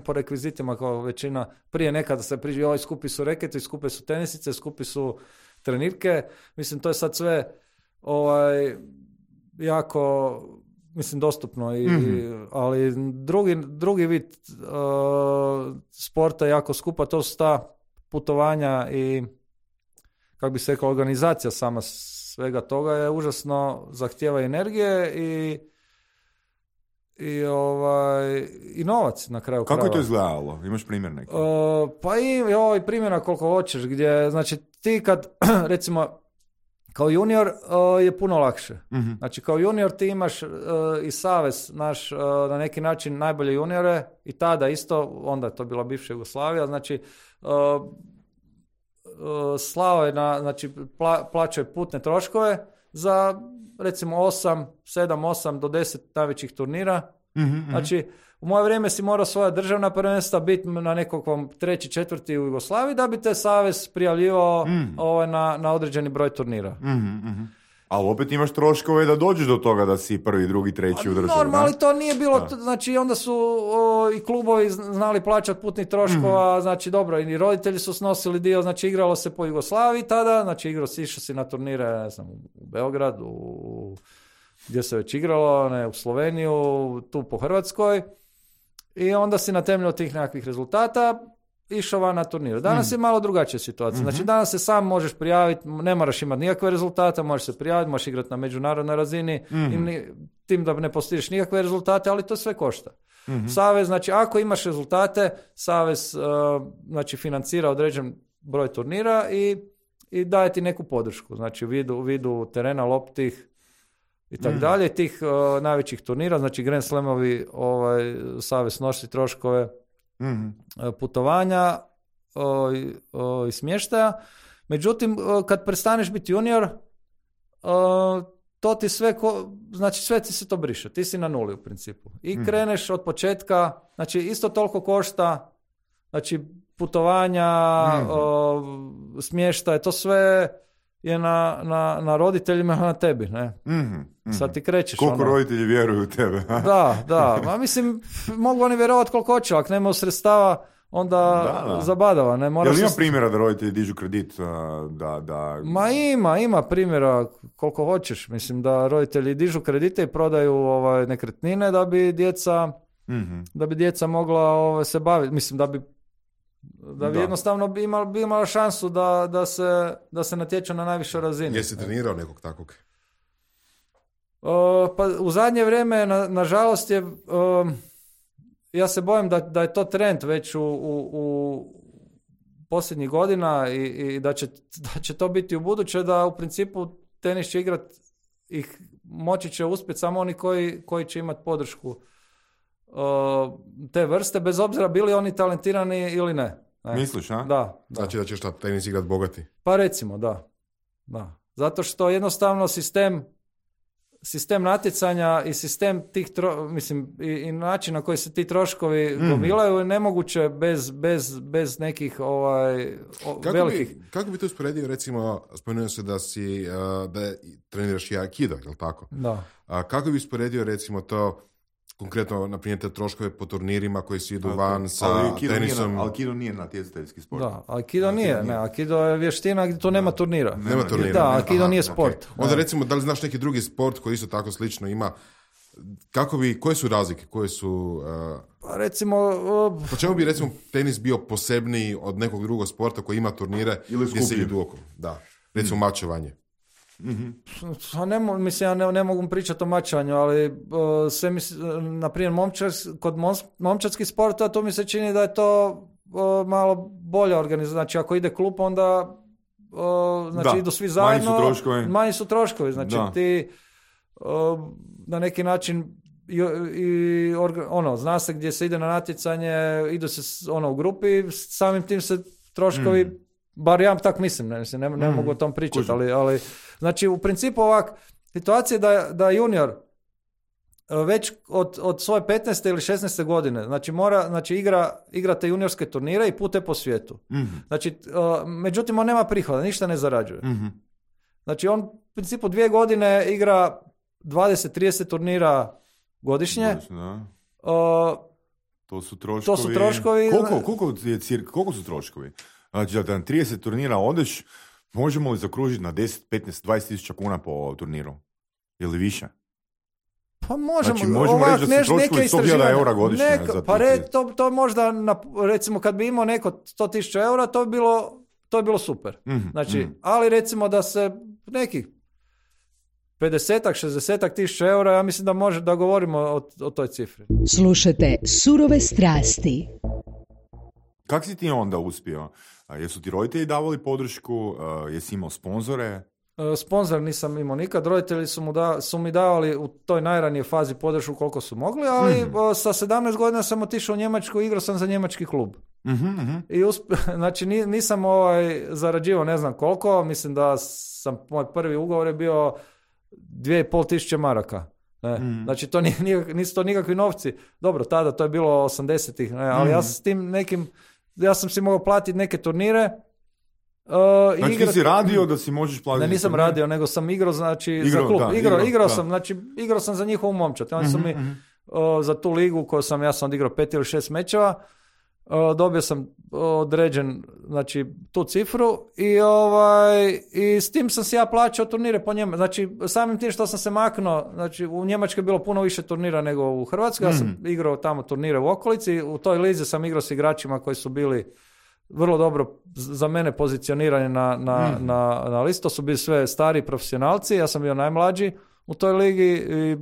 po rekvizitima kao većina. Prije nekada se priča, skupi su reketi, skupe su tenisice, skupi su trenirke. Mislim, to je sad sve jako... mislim, dostupno, ali drugi vid sporta je jako skupa, to su ta putovanja i, kako bi se rekao, organizacija sama svega toga je užasno zahtijeva energije i novac na kraju krajeva. Kako je to izgledalo? Imaš primjer neki? Pa i primjera koliko hoćeš, gdje, znači, ti kad, recimo, kao junior je puno lakše. Mm-hmm. Znači, kao junior ti imaš i savez naš, na neki način najbolje juniore, i tada isto, onda je to bila bivša Jugoslavija, znači, slao je znači, plaćao je putne troškove za, recimo, 7-8 do 10 najvećih turnira. Mm-hmm. Znači, u moje vrijeme si morao svoja državna prvenstva biti na nekakvom 3. 4. u Jugoslaviji da bi te savez prijavljivao na određeni broj turnira. Mm-hmm. Ali opet imaš troškove da dođeš do toga da si 1., 2., 3. u državi. Normalno, to nije bilo, znači onda su i klubovi znali plaćati putnih troškova, znači dobro, i roditelji su snosili dio, znači igralo se po Jugoslaviji tada, znači išao si na turnire, ne znam, u Beograd, gdje se već igralo, u Sloveniju, tu po Hrvatskoj, i onda si na temelju tih nekakvih rezultata išao van na turniru. Danas je malo drugačija situacija. Znači, danas se sam možeš prijaviti, ne moraš imati nikakve rezultate, možeš se prijaviti, možeš igrati na međunarodnoj razini, tim da ne postižeš nikakve rezultate, ali to sve košta. Savez, znači, ako imaš rezultate, savez znači, financira određen broj turnira i daje ti neku podršku. Znači, u vidu terena, loptih i tako dalje, tih najvećih turnira, znači Grand Slamovi, savez nosi troškove putovanja i smještaja. Međutim, kad prestaneš biti junior, to ti sve, znači sve ti se to briše. Ti si na nuli u principu. I kreneš od početka, znači isto toliko košta, znači putovanja, smještaj, to sve je na roditeljima, na tebi, ne? Sad ti krećeš. Koliko roditelji vjeruju u tebe? Da. Ma mislim, mogu oni vjerovati koliko hoće, ako nema sredstava, onda zabadava. Ne? Jel ima primjera da roditelji dižu kredit? Ma ima primjera koliko hoćeš. Mislim da roditelji dižu kredite i prodaju nekretnine da bi djeca mogla se baviti. Mislim da bi jednostavno imala šansu da se natječu na najvišoj razini. Jesi trenirao nekog takvog? Pa u zadnje vrijeme, nažalost, ja se bojim da je to trend već u posljednjih godina i da će to biti u buduće, da u principu tenis će igrati i moći će uspjeti samo oni koji će imati podršku te vrste, bez obzira bili oni talentirani ili ne. Misliš, a? Da. Znači da ćeš tenis igrati bogati? Pa recimo, da. Zato što jednostavno sistem natjecanja i sistem tih i način na koji se ti troškovi gomilaju je nemoguće bez nekih velikih. Kako bi to usporedio, recimo, spomenuo se da treniraš i aikido, je li tako? Da. Kako bi usporedio, recimo, to konkretno, na primjer, te troškove po turnirima koji se idu van sa tenisom? Aikido nije natjecateljski sport. Da, aikido nije. Ne, aikido je vještina gdje to nema turnira. Nema turnira. Da, aikido nije sport. Okay. Onda recimo, da li znaš neki drugi sport koji isto tako slično ima? Koje su razlike? Koje su... Pa recimo... Po čemu bi, recimo, tenis bio posebniji od nekog drugog sporta koji ima turnire gdje se idu oko? Da. Recimo, mačevanje. Mislim, ja ne mogu pričati o mačanju, ali sve na primjer kod momčadskih sporta to mi se čini da je to malo bolja organizacija. Znači ako ide klub, onda idu svi zajedno, manji su troškovi. Znači ti na neki način zna se gdje se ide na natjecanje, idu se u grupi, samim tim se troškovi bar ja tak mislim, ne mogu o tom pričati, ali znači u principu ovak, situacija da junior već od svoje 15. ili 16. godine, znači igrate juniorske turnire i pute po svijetu. Znači, međutim on nema prihoda, ništa ne zarađuje. Znači on u principu 2 godine igra 20-30 turnira godišnje. To su troškovi. Koliko su troškovi? Znači da na 30 turnira odeš, možemo li zakružiti na 10, 15, 20 tisuća kuna po turniru? Ili više? Pa možemo. Znači možemo reći da su troškovi 100.000 eura godišnje. To možda, recimo kad bi imao neko 100.000 eura, to bi bilo super. Znači, ali recimo da se nekih 50-60 tisuća eura, ja mislim da može da govorimo o toj cifri. Slušajte Surove strasti. Kako si ti onda uspio? Jesu ti roditelji davali podršku? Jesi imao sponzore? Sponzor nisam imao nikad, roditelji su mi davali u toj najranijoj fazi podršku koliko su mogli, ali sa 17 godina sam otišao u Njemačku, igrao sam za njemački klub. I znači nisam zarađivao ne znam koliko, mislim da moj prvi ugovor je bio 2.500 maraka. Znači nisu to nikakvi novci. Dobro, tada to je bilo 80-ih, ali ja sam s tim ja sam si mogao platiti neke turnire. Znači ti si radio da si možeš platiti? Ne, nisam radio, nego sam igrao za klub. Igrao sam za njihovu momčad. Oni su mi za tu ligu koju ja sam odigrao 5 ili 6 mečeva, dobio sam određen, znači, tu cifru i s tim sam si ja plaćao turnire po Njemačkoj. Znači, samim tim što sam se maknuo, znači, u Njemačkoj je bilo puno više turnira nego u Hrvatskoj. Ja sam igrao tamo turnire u okolici. U toj lizi sam igrao s igračima koji su bili vrlo dobro za mene pozicionirani na listu. To su bili sve stari profesionalci. Ja sam bio najmlađi u toj ligi i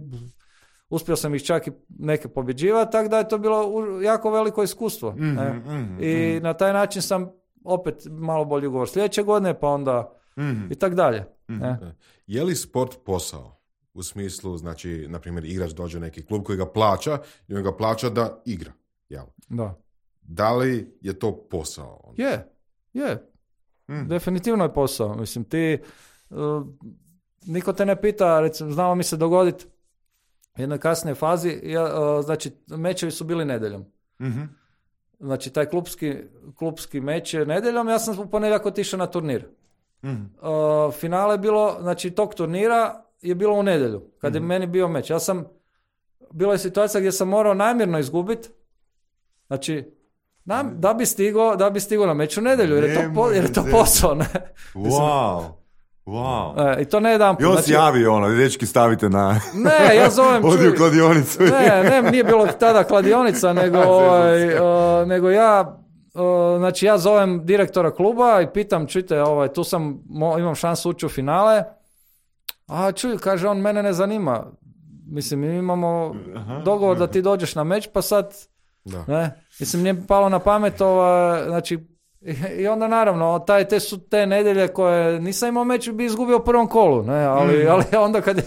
uspio sam ih čak i neke pobjeđivati, tako da je to bilo jako veliko iskustvo. I na taj način sam opet malo bolji ugovor sljedeće godine, pa onda i tak dalje. Je li sport posao? U smislu, znači, na primjer, igrač dođe u neki klub koji ga plaća i on ga plaća da igra. Jel? Da. Da li je to posao? Je. Definitivno je posao. Mislim, ti niko te ne pita, recimo, znamo mi se dogoditi u jednoj kasnijoj fazi, znači, mečevi su bili nedjeljom. Znači, taj klubski meč je nedjeljom, ja sam u ponedjeljak otišao na turnir. Finale je bilo, znači, tog turnira je bilo u nedjelju, kad je meni bio meč. Bila je situacija gdje sam morao namjerno izgubiti, znači, da bi stigao na meč u nedjelju, jer je to posao, ne? Wow. I to ne jedan put. Još znači, javi dečki stavite na... Ne, ja zovem... Odi u kladionicu. Ne, nije bilo tada kladionica, nego ja... Znači, ja zovem direktora kluba i pitam, čujte, tu imam šansu ući u finale. A čuj, kaže on, mene ne zanima. Mislim, mi imamo dogovor da ti dođeš na meč, pa sad... Ne? Mislim, nije palo na pamet, znači... I onda naravno, te nedjelje koje nisam imao meč bi izgubio u prvom kolu, ne? Ali onda kad je...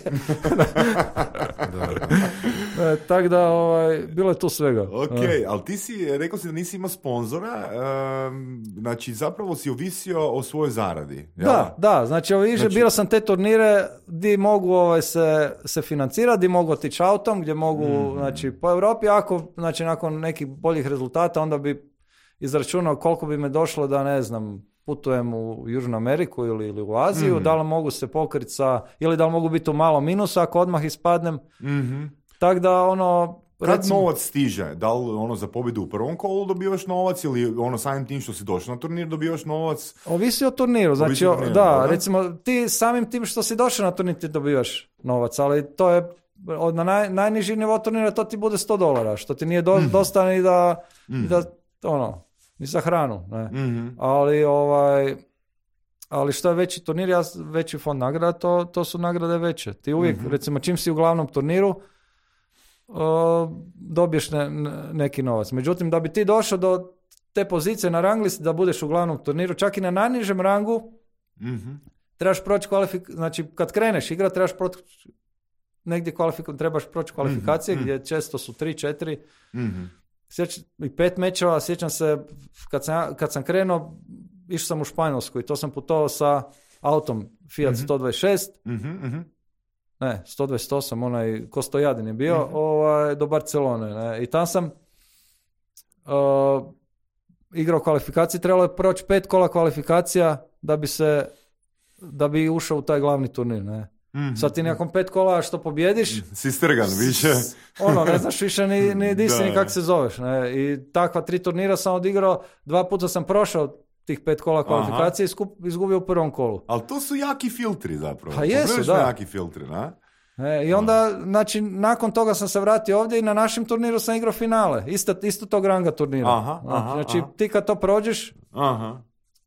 Tako da, bilo je tu svega. Ok, ali ti rekao si da nisi imao sponzora, znači zapravo si ovisio o svojoj zaradi. Da, znači birao sam te turnire gdje mogu se financirati, gdje mogu otići autom, gdje mogu, znači, po Europi, znači, nakon nekih boljih rezultata, onda bi izračunao koliko bi me došlo da, ne znam, putujem u Južnu Ameriku ili u Aziju, da li mogu se pokriti ili da li mogu biti u malo minusa ako odmah ispadnem. Tako da, kad novac stiže? Da li za pobjedu u prvom kolu dobivaš novac ili samim tim što si došao na turnir dobivaš novac? Ovisi o turniru. Znači, recimo, ti samim tim što si došao na turnir ti dobivaš novac, ali to je na najniži nivo turnira to ti bude $100, što ti nije dosta ni da ni za hranu, ne. Ali što je veći turnir, veći fond nagrada, to su nagrade veće. Ti uvijek, recimo, čim si u glavnom turniru, dobiješ neki novac. Međutim, da bi ti došao do te pozicije na rang listi da budeš u glavnom turniru, čak i na najnižem rangu, trebaš proći znači kad kreneš igrati, trebaš proći negdje trebaš proći kvalifikacije, gdje često su 3-4, i 5 mečeva. Sjećam se, kad sam krenuo, išao sam u Španjolsku i to sam putovao sa autom Fiat 126, ne, 128, onaj ko Stojadin je bio, do Barcelone. Ne? I tam sam igrao kvalifikacije, trebalo je proći 5 kola kvalifikacija da bi ušao u taj glavni turnir. Ne? Sad ti nakon 5 kola što pobjediš, si strgan više. Ne znaš više ni di si, ni kako se zoveš. Ne? I takva 3 turnira sam odigrao, 2 puta sam prošao tih 5 kola kvalifikacije i izgubio u prvom kolu. Ali to su jaki filtri zapravo. Pa jesu, da. Jaki filtri, na? I onda, znači, nakon toga sam se vratio ovdje i na našem turniru sam igrao finale. Isto tog ranga turnira. Znači, ti kad to prođeš,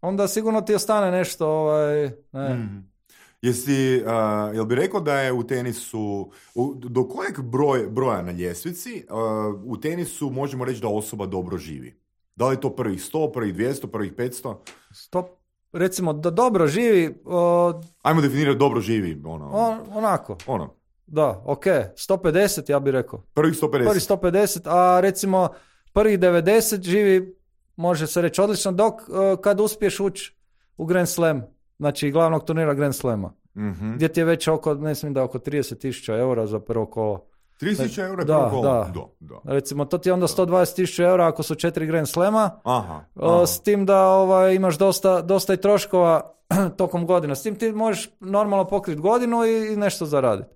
onda sigurno ti ostane nešto. Jel bi rekao da je u tenisu, do kojeg broja na ljestvici u tenisu možemo reći da osoba dobro živi? Da li je to prvih 100, prvih 200, prvih 500? Recimo da dobro živi... Ajmo definirati dobro živi. Onako. Ono. Da, ok. 150 ja bih rekao. Prvih 150. Prvih 150, a recimo prvih 90 živi, može se reći odlično, dok kad uspiješ ući u Grand Slam, znači glavnog turnira Grand Slama, gdje ti je već oko, ne znam da oko 30.000 eura za prvo kolo. 30.000 eura prvo kolo? Da. Recimo, to ti je onda 120.000 eura ako su 4 Grand Slama, aha. S tim da imaš dosta i troškova tokom godina. S tim ti možeš normalno pokriti godinu i nešto zaraditi.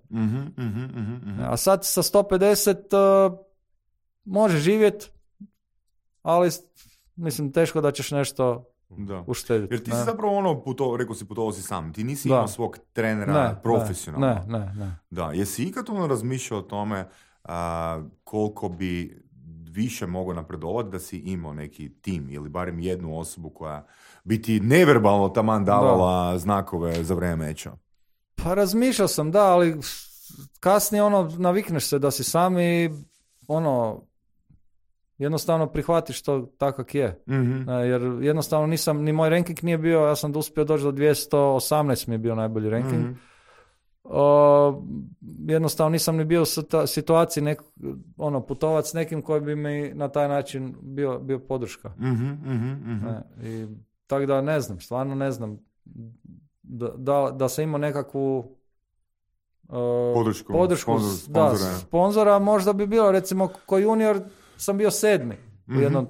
A sad sa 150 možeš živjeti, ali mislim teško da ćeš nešto uštediti. Jer ti si zapravo rekao si putovao si sam, ti nisi imao svog trenera profesionalno. Ne. Da, jesi ikad razmišljao o tome koliko bi više mogao napredovati da si imao neki tim ili barem jednu osobu koja bi ti neverbalno taman davala znakove za vrijeme meča? Pa razmišljao sam, da, ali kasnije navikneš se da si sam i jednostavno prihvatiš to tako kak je. Jer jednostavno ni moj ranking nije bio, ja sam uspio doći do 218 mi je bio najbolji ranking. Jednostavno nisam ni bio u situaciji putovat s nekim koji bi mi na taj način bio podrška. I tako da ne znam, stvarno ne znam da sam imao nekakvu podršku sponzora, možda bi bilo, recimo ko junior sam bio 7.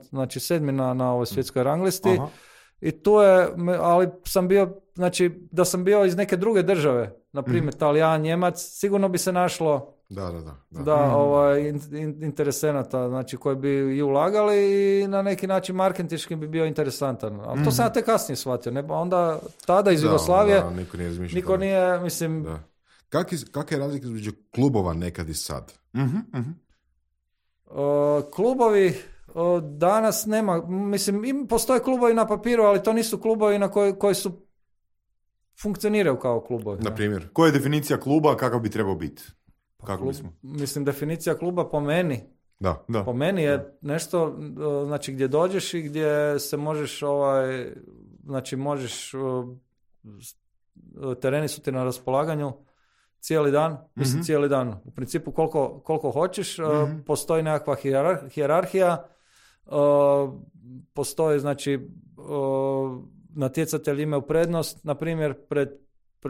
Znači 7. na ovoj svjetskoj ranglisti. Aha. I tu je, ali sam bio, znači da sam bio iz neke druge države, na primjer Talijan, Njemac, sigurno bi se našlo interesenata, znači koji bi i ulagali i na neki način marketinški bi bio interesantan. Ali to sam ja tek kasnije shvatio. Onda tada iz Jugoslavije niko nije, mislim... Da. Kakva je razlika između klubova nekad i sad? Klubovi danas nema, mislim, postoje klubovi na papiru, ali to nisu klubovi koji su funkcioniraju kao klubovi. Na primjer, koja je definicija kluba, kakav bi trebao biti? Mislim, definicija kluba po meni. Da. Po meni je nešto, znači gdje dođeš i gdje se možeš, tereni su ti na raspolaganju cijeli dan, mislim cijeli dan. U principu koliko hoćeš, postoji nekakva hijerarhija, postoji, znači, natjecatelji imaju prednost, na primjer,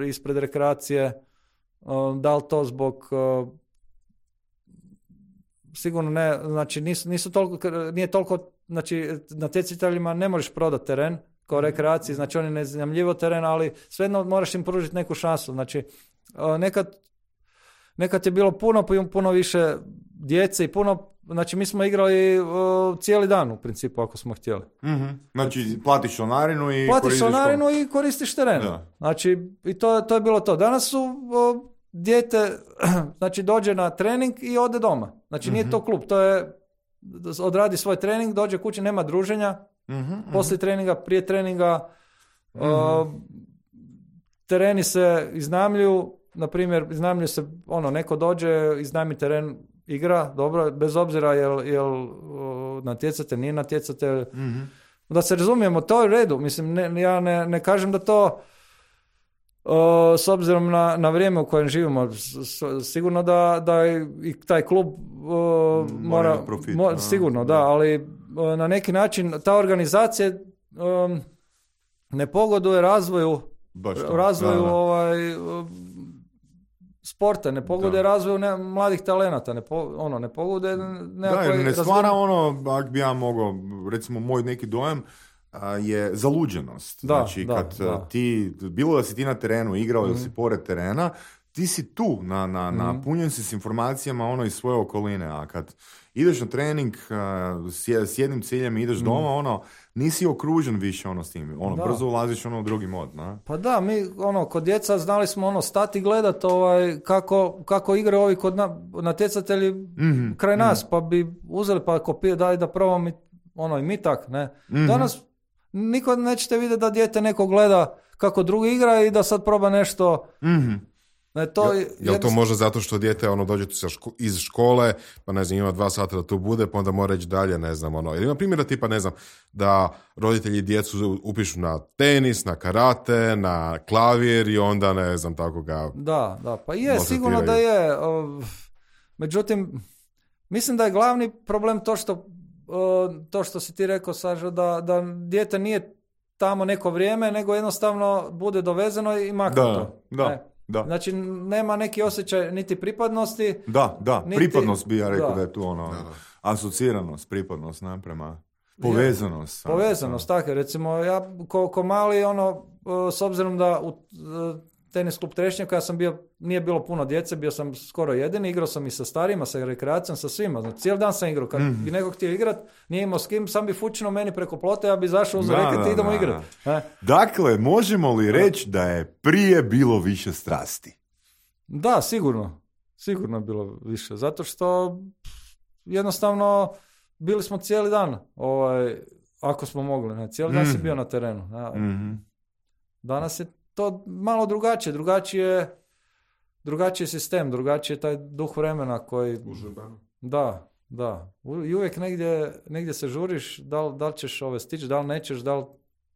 ispred rekreacije, da li to zbog sigurno ne, znači nisu toliko, nije toliko, znači natjecateljima ne možeš prodati teren kao rekreaciji, znači oni ne zanimljivo teren, ali svejedno moraš im pružiti neku šansu, znači nekad je bilo puno više djece i znači mi smo igrali cijeli dan u principu ako smo htjeli. Znači platiš članarinu i koristiš teren. Da. Znači i to je bilo to. Danas su dijete znači dođe na trening i ode doma. Znači nije to klub, to je odradi svoj trening, dođe kući, nema druženja, poslije treninga, prije treninga, tereni se iznajmljuju, na primjer, iznajmljuje se, neko dođe, iznajmi teren, igra, dobro, bez obzira jel natjecatelj, nije natjecatelj. Da se razumijemo, to je u redu. Mislim, ja ne kažem da to s obzirom na vrijeme u kojem živimo, sigurno da i taj klub mora profit, sigurno, da, ali na neki način ta organizacija ne pogoduje razvoju sporta, ne pogoduje razvoju mladih talenata, ne pogoduje nekakvoj... ne stvara ako bi ja mogao, recimo moj neki dojam je zaluđenost. Znači, kad ti, bilo da si ti na terenu igrao ili si pored terena, ti si tu, napunjen si s informacijama iz svoje okoline, a kad ideš na trening s jednim ciljem i ideš doma, nisi okružen više s tim, brzo ulaziš u drugi mod. Pa da, mi kod djeca znali smo stati gledat kako igraju ovi kod natjecatelji kraj nas, pa bi uzeli pa kopije, daj da probamo i mi tak, ne. Danas niko nećete vidjeti da dijete neko gleda kako drugi igra i da sad proba nešto. Jel to može zato što dijete dođe iz škole, pa ne znam, ima 2 sata da tu bude, pa onda mora reći dalje, ne znam, Jer ima primjera tipa, ne znam, da roditelji djecu upišu na tenis, na karate, na klavir i onda, ne znam, tako ga... Da, pa je, sigurno da je. Međutim, mislim da je glavni problem to što si ti rekao, Sažo, da dijete nije tamo neko vrijeme, nego jednostavno bude dovezeno i maknuto. Da. Znači, nema neki osjećaj niti pripadnosti. Da, niti... pripadnost bi ja rekao da je tu asociranost, pripadnost prema povezanost. Povezanost, tako. Recimo, ja ko mali, s obzirom da u tenis klub Trešnjaka ja sam bio, nije bilo puno djece, bio sam skoro jedini, igrao sam i sa starijima, sa rekreacijom, sa svima. Znači, cijeli dan sam igrao. Kad bi neko htio igrat, nije imao s kim, sam bi fučino meni preko plota, ja bi zašao uz reket i idemo igrat. Dakle, možemo li reći da je prije bilo više strasti? Da, sigurno. Sigurno je bilo više. Zato što jednostavno bili smo cijeli dan, ako smo mogli. Cijeli dan si bio na terenu. Danas je to malo drugačije. Drugačiji sistem, drugačiji je taj duh vremena koji... Da. I uvijek negdje se žuriš, da li ćeš stići, da li nećeš,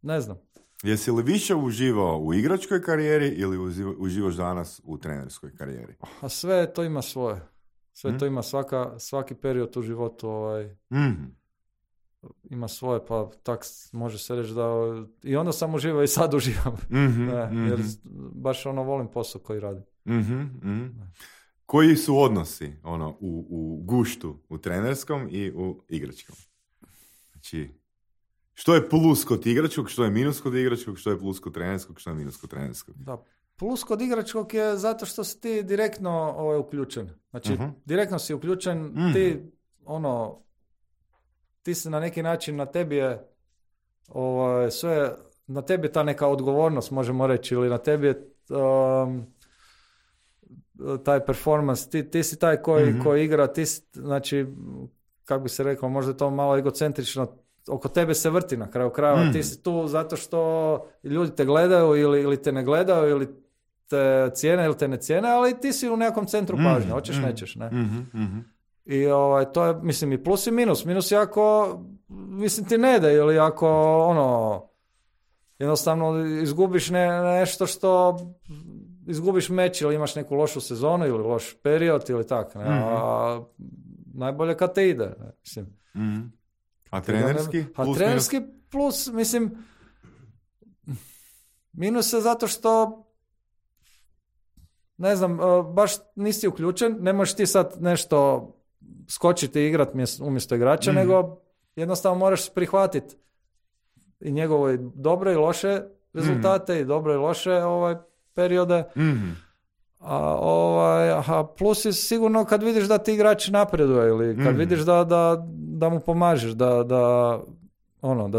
ne znam. Jesi li više uživao u igračkoj karijeri ili uživaš danas u trenerskoj karijeri? A sve to ima svoje. Sve to ima svaki period u životu ima svoje, pa tak može se reći da i onda sam uživao i sad uživam. Jer baš volim posao koji radim. Koji su odnosi u guštu, u trenerskom i u igračkom? Znači, što je plus kod igračkog, što je minus kod igračkog, što je plus kod trenerskog, što je minus kod trenerskog? Da, plus kod igračkog je zato što si ti direktno uključen. Znači, direktno si uključen, ti si na neki način, na tebi je sve, na tebi je ta neka odgovornost, možemo reći, ili na tebi je taj performance, ti si taj koji igra, ti si, znači, kako bi se rekao, možda je to malo egocentrično, oko tebe se vrti na kraju krajeva, ti si tu zato što ljudi te gledaju ili te ne gledaju, ili te cijene ili te ne cijene, ali ti si u nekom centru pažnje, hoćeš, nećeš, ne? I to je, mislim, i plus i minus. Minus je ako, mislim, ti ne da, ili ako, jednostavno izgubiš nešto što, izgubiš meč ili imaš neku lošu sezonu ili loš period ili tako, ne? A najbolje kad te ide, ne? Mislim. A trenerski? A trenerski plus, mislim, minus je zato što, ne znam, baš nisi uključen, ne možeš ti sad nešto skočiti i igrati umjesto igrača, nego jednostavno moraš prihvatiti i njegove dobre i loše rezultate i dobre i loše periode. A plus je sigurno kad vidiš da ti igrač napreduje ili kad vidiš da mu pomažeš, da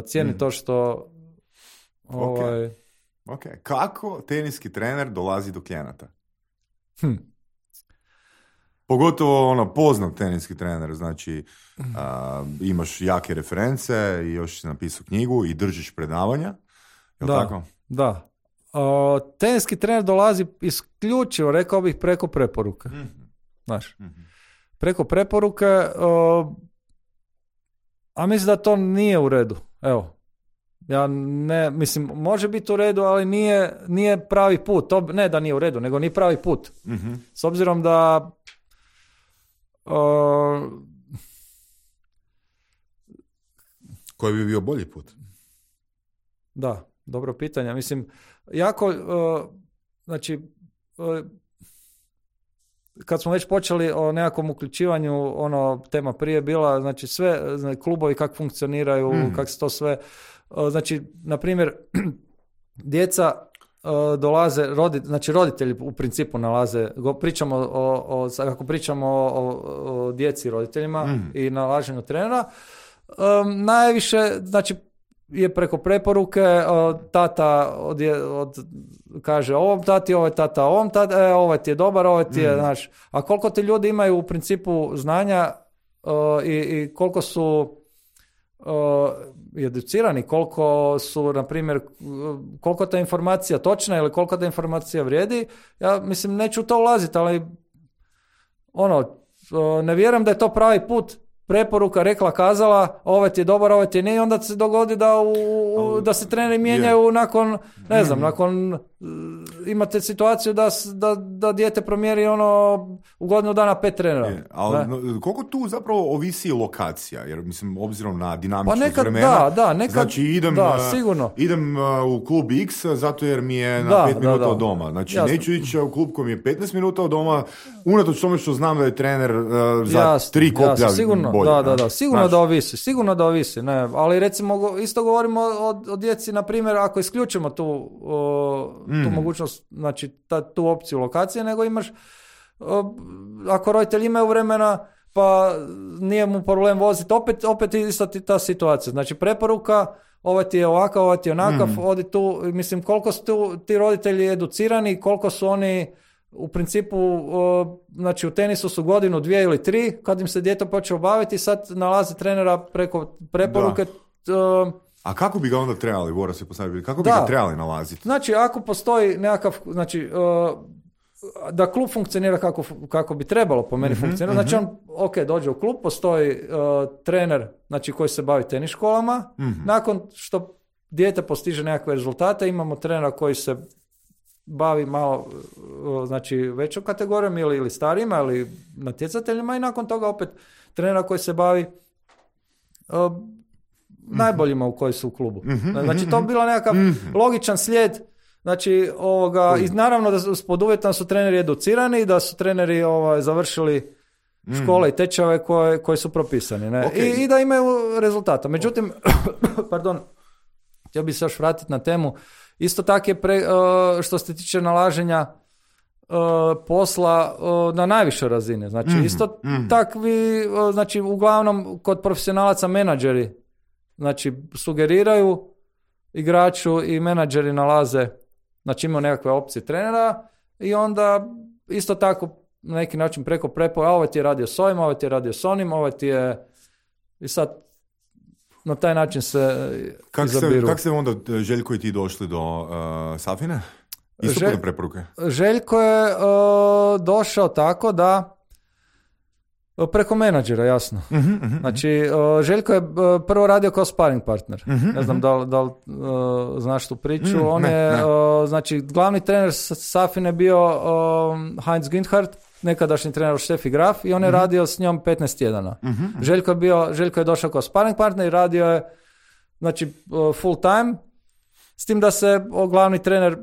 cijeni to što... Ok. Kako teniski trener dolazi do klijenata? Pogotovo poznat teniski trener, znači imaš jake reference i još si napisao knjigu i držiš predavanja. Je li tako? Da. Teniski trener dolazi isključivo, rekao bih, preko preporuke. Znaš, preko preporuke, a mislim da to nije u redu. Evo, ja ne, mislim, može biti u redu, ali nije pravi put. Ne da nije u redu, nego nije pravi put. S obzirom da koji bi bio bolji put? Da, dobro pitanje. Mislim, jako, znači, kad smo već počeli o nekakvom uključivanju, tema prije bila, znači sve, znači, klubovi kako funkcioniraju, kako se to sve, znači, na primjer, djeca dolaze, znači roditelji u principu nalaze, pričamo ako pričamo o djeci i roditeljima i nalaženju trenera, najviše, znači, je preko preporuke, tata kaže ovom tati, ovaj tata ovom tati, ovaj ti je dobar, ovaj ti je, znaš, a koliko ti ljudi imaju u principu znanja i koliko su educirani, koliko su, na primjer, koliko ta informacija točna ili koliko ta informacija vrijedi, ja mislim, neću u to ulaziti, ali ne vjerujem da je to pravi put. Preporuka, rekla, kazala, ovaj ti je dobar, ovaj ti nije, onda se dogodi da se treneri mijenjaju nakon, ne znam, nakon, imate situaciju da dijete promijeri u godinu dana 5 trenera. Ali koliko tu zapravo ovisi lokacija, jer mislim, obzirom na dinamičnost vremena, nekad, znači idem u klub X zato jer mi je na 5 minuta od doma. Znači neću ići u klub koji mi je 15 minuta od doma, unatoč tome što znam da je trener za 3 koplja bolje. Da, sigurno da ovisi, ne, ali recimo isto govorimo o djeci, na primjer, ako isključimo tu mogućnost, znači tu opciju lokacije, nego imaš, ako roditelji imaju vremena, pa nije mu problem voziti, opet isto ta situacija, znači preporuka, ovaj ti je ovakav, ovaj ti je onakav, odi tu, mislim, koliko su ti roditelji educirani, koliko su oni u principu, znači u tenisu su godinu, 2 ili 3, kad im se dijete počeo baviti, sad nalaze trenera preko preporuke. A kako bi ga onda trebali, Vora se postaviti, kako bi ga trebali nalaziti? Znači, ako postoji nekakav, znači, da klub funkcionira kako bi trebalo po meni funkcionirati, znači on, dođe u klub, postoji trener, znači, koji se bavi tenis školama, nakon što dijete postiže nekakve rezultate, imamo trenera koji se bavi malo, znači, većom kategorijom ili starijima ili natjecateljima i nakon toga opet trenera koji se bavi najboljima u koji su u klubu. Znači, to bi bilo nekakav logičan slijed, znači, i naravno da pod uvjetom su treneri educirani, da su treneri završili škole i tečave koje su propisani. Ne? I da imaju rezultata. Međutim, htio bih se još vratiti na temu. Isto tako je što se tiče nalaženja posla na najvišoj razini. Znači, isto takvi, znači, uglavnom kod profesionalaca menadžeri, znači, sugeriraju igraču i menadžeri nalaze, znači, imaju nekakve opcije trenera i onda isto tako na neki način preko preporuka, ovaj ti je radio s ovim, ovaj ti je radio s onim, ovaj ti je, i sad na taj način se izabiru. Kako ste onda Željko i ti došli do Safine? Isto putem preporuke? Željko je došao tako da preko menadžera, jasno. Znači, Željko je prvo radio kao sparring partner. Ne znam da li znaš tu priču. On je, znači, glavni trener Safine bio Heinz Günthardt, nekadašnji trener Steffi Graf, i on je radio s njom 15 tjedana. Željko je došao kao sparring partner i radio je, znači, full time, s tim da se glavni trener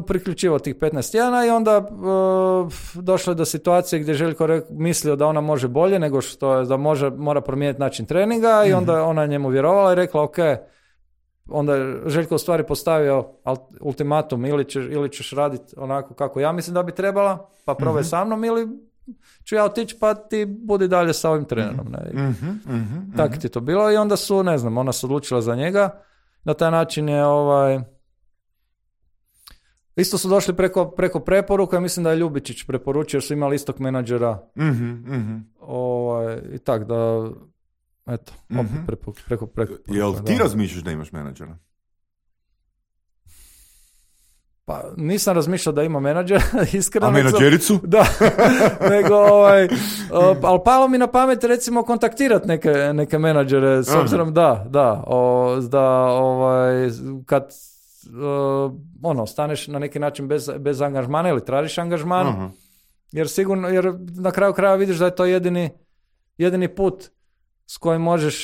priključivao tih 15 tjedana i onda došlo je do situacije gdje Željko mislio da ona može bolje nego što je, da mora promijeniti način treninga i onda ona njemu vjerovala i rekla ok, onda je Željko u stvari postavio ultimatum, ili ćeš raditi onako kako ja mislim da bi trebala, pa probaj sa mnom, ili ću ja otići pa ti budi dalje sa ovim trenerom. Tako ti je to bilo i onda su, ne znam, ona se odlučila za njega. Na taj način je isto su došli preko preporuka, mislim da je Ljubičić preporučio jer su imali istog menadžera. I tak da, eto, opet preko Jel ti razmišljaš da imaš menadžera? Pa nisam razmišljao da ima menadžera, iskreno. A menadžericu? Da, nego, ali palo mi na pamet recimo kontaktirati neke menadžere, s obzirom kad staneš na neki način bez angažmana ili tražiš angažman, jer na kraju kraja vidiš da je to jedini put s kojim možeš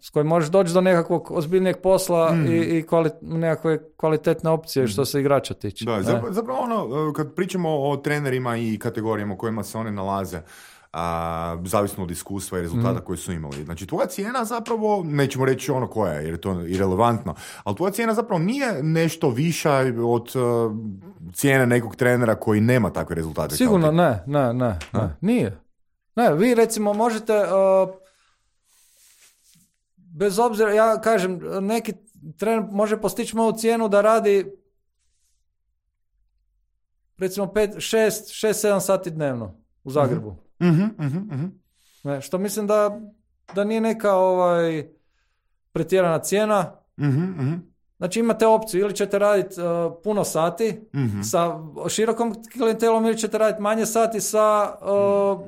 s kojim možeš doći do nekakvog ozbiljnijeg posla i nekakve kvalitetne opcije što se igrača tiče. Da, zapravo kad pričamo o trenerima i kategorijama u kojima se oni nalaze, zavisno od iskustva i rezultata koji su imali. Znači, tvoja cijena zapravo, nećemo reći koja je, jer je to irelevantno, ali tvoja cijena zapravo nije nešto viša od cijene nekog trenera koji nema takve rezultate. Sigurno ne, nije. Ne, vi recimo možete, bez obzira, ja kažem, neki trener može postići moju cijenu da radi recimo 6-7 sati dnevno u Zagrebu. Ne, što mislim da da nije neka pretjerana cijena. Znači imate opciju, ili ćete raditi puno sati sa širokom klijentelom, ili ćete raditi manje sati sa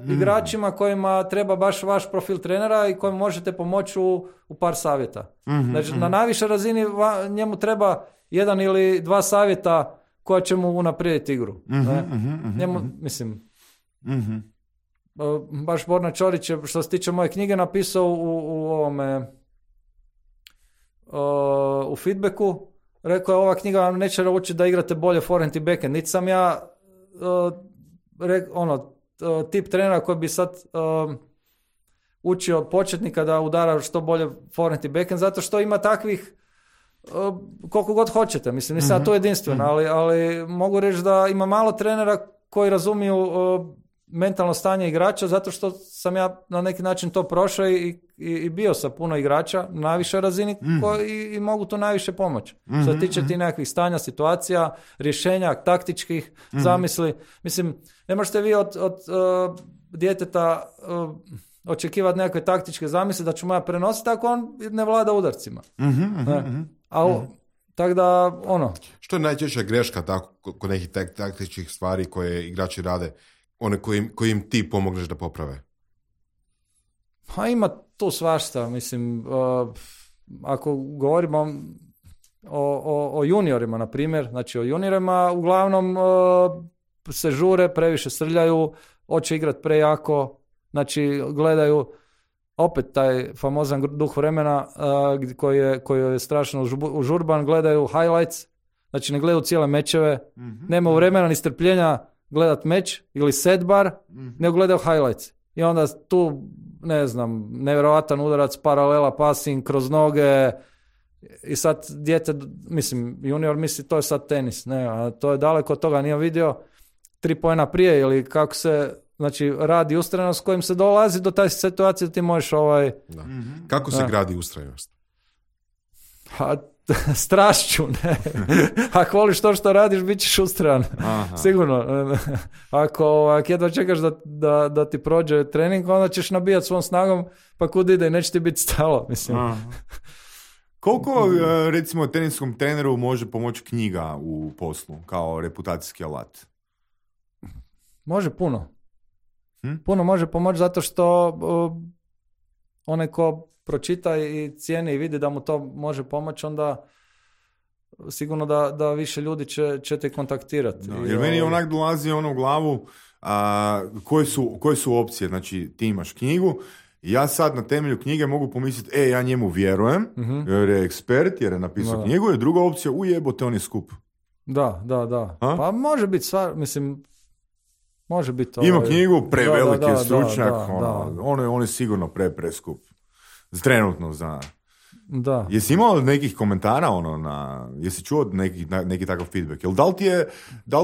igračima kojima treba baš vaš profil trenera i kojim možete pomoći u par savjeta. Znači na najvišoj razini njemu treba 1 ili 2 savjeta koja će mu unaprijediti igru. Njemu, mislim, baš Borna Čorić je, što se tiče moje knjige, napisao u ovome u feedbacku, rekao je ova knjiga vam neće naučiti da igrate bolje forehand i backhand. Niti sam ja tip trenera koji bi sad učio početnika da udara što bolje forehand i backhand, zato što ima takvih koliko god hoćete. Mislim, nisam ja to jedinstveno, ali mogu reći da ima malo trenera koji razumiju mentalno stanje igrača, zato što sam ja na neki način to prošao i bio sa puno igrača na najvišoj razini i mogu tu najviše pomoći. Što se tiče ti nekakvih stanja, situacija, rješenja, taktičkih zamisli. Mislim, ne možete vi od djeteta očekivati nekakve taktičke zamisli da ću mu ja prenositi ako on ne vlada udarcima. Tako da, Što je najčešća greška tako, kod nekih taktičkih stvari koje igrači rade, one kojim ti pomogneš da poprave? Pa ima tu svašta, mislim, ako govorimo o juniorima, na primjer, znači o juniorima uglavnom se žure, previše srljaju, hoće igrati prejako, znači gledaju opet taj famozan duh vremena koji je strašno užurban, gledaju highlights, znači ne gledaju cijele mečeve, nema vremena ni strpljenja gledat meč ili set bar, nego gledaju highlights. I onda tu, ne znam, nevjerojatan udarac, paralela, passing, kroz noge, i sad dijete, mislim, junior misli to je sad tenis, ne, a to je daleko od toga, nije vidio 3 poena prije ili kako se, znači, radi ustrajnost s kojim se dolazi do taj situacije da ti možeš Da. Kako se gradi ustrajnost? Strašću, ne. Ako voliš to što radiš, bit ćeš ustrajan. Sigurno. Ako jedva čekaš da ti prođe trening, onda ćeš nabijati svom snagom, pa kud ide i neće ti biti stalo. Mislim. Koliko, recimo, teniskom treneru može pomoći knjiga u poslu, kao reputacijski alat? Može puno. Puno može pomoći zato što onaj ko pročita i cijeni i vidi da mu to može pomoći, onda sigurno da više ljudi će te kontaktirati. Jer meni onak dolazi u glavu koje su opcije. Znači, ti imaš knjigu i ja sad na temelju knjige mogu pomisliti, ja njemu vjerujem, jer je ekspert, jer je napisao knjigu, jer druga opcija, ujebote, on je skup. Da. Pa može biti stvar, mislim, može biti... Ima knjigu, preveliki je stručnjak, on je sigurno preskup. Trenutno za... Da. Jesi imao nekih komentara jesi čuo neki takav feedback? Jel da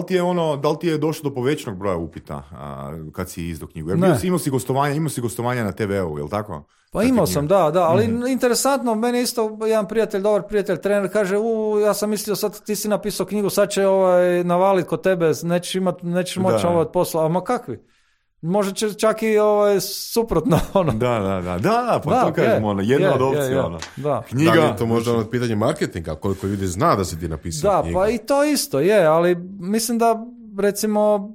li ti je došlo do povećanog broja upita kad si izdao knjigu? Jer imao si gostovanja na TV-u, jel tako? Pa imao sam, da, ali interesantno, meni isto jedan prijatelj, dobar prijatelj, trener, kaže, ja sam mislio sad ti si napisao knjigu, sad će navalit kod tebe, nećeš moći od posla, a ma kakvi? Može čak i suprotno. Da, pa to kažemo, jedna od opcija. Knjiga, da li je to možda pitanje marketinga, koliko ljudi zna da si ti napisao knjigu? Da, pa i to isto je, ali mislim da, recimo,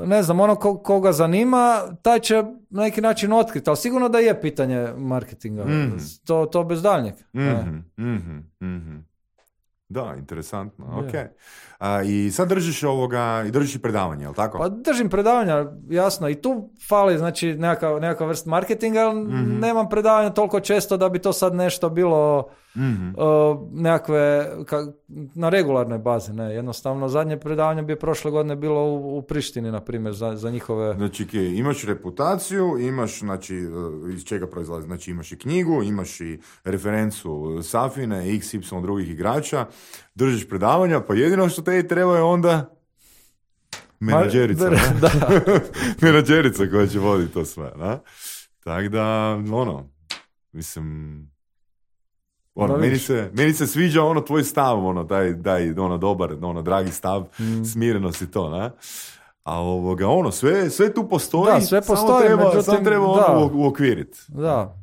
ne znam, koga zanima, taj će na neki način otkriti, ali sigurno da je pitanje marketinga. To bez daljnjeg. Da, interesantno, ok. I sad držiš predavanje, jel tako? Pa držim predavanja, jasno, i tu fali, znači, nekakva vrst marketinga, ali nemam predavanja toliko često da bi to sad nešto bilo nekakve, na regularnoj bazi, ne, jednostavno, zadnje predavanje bi prošle godine bilo u Prištini, na primjer, za njihove... Znači, imaš reputaciju, imaš, znači, iz čega proizlazi, znači, imaš i knjigu, imaš i referencu Safine, XY drugih igrača, držiš predavanja, pa jedino što te treba je onda menadžerica. Menadžerica koja će voditi to sve. Da? Tako da, mislim, meni se sviđa tvoj stav, taj dobar, dragi stav, smirenost i to, ne? A sve tu postoji, Da, sve postoji, samo treba uokviriti. Da.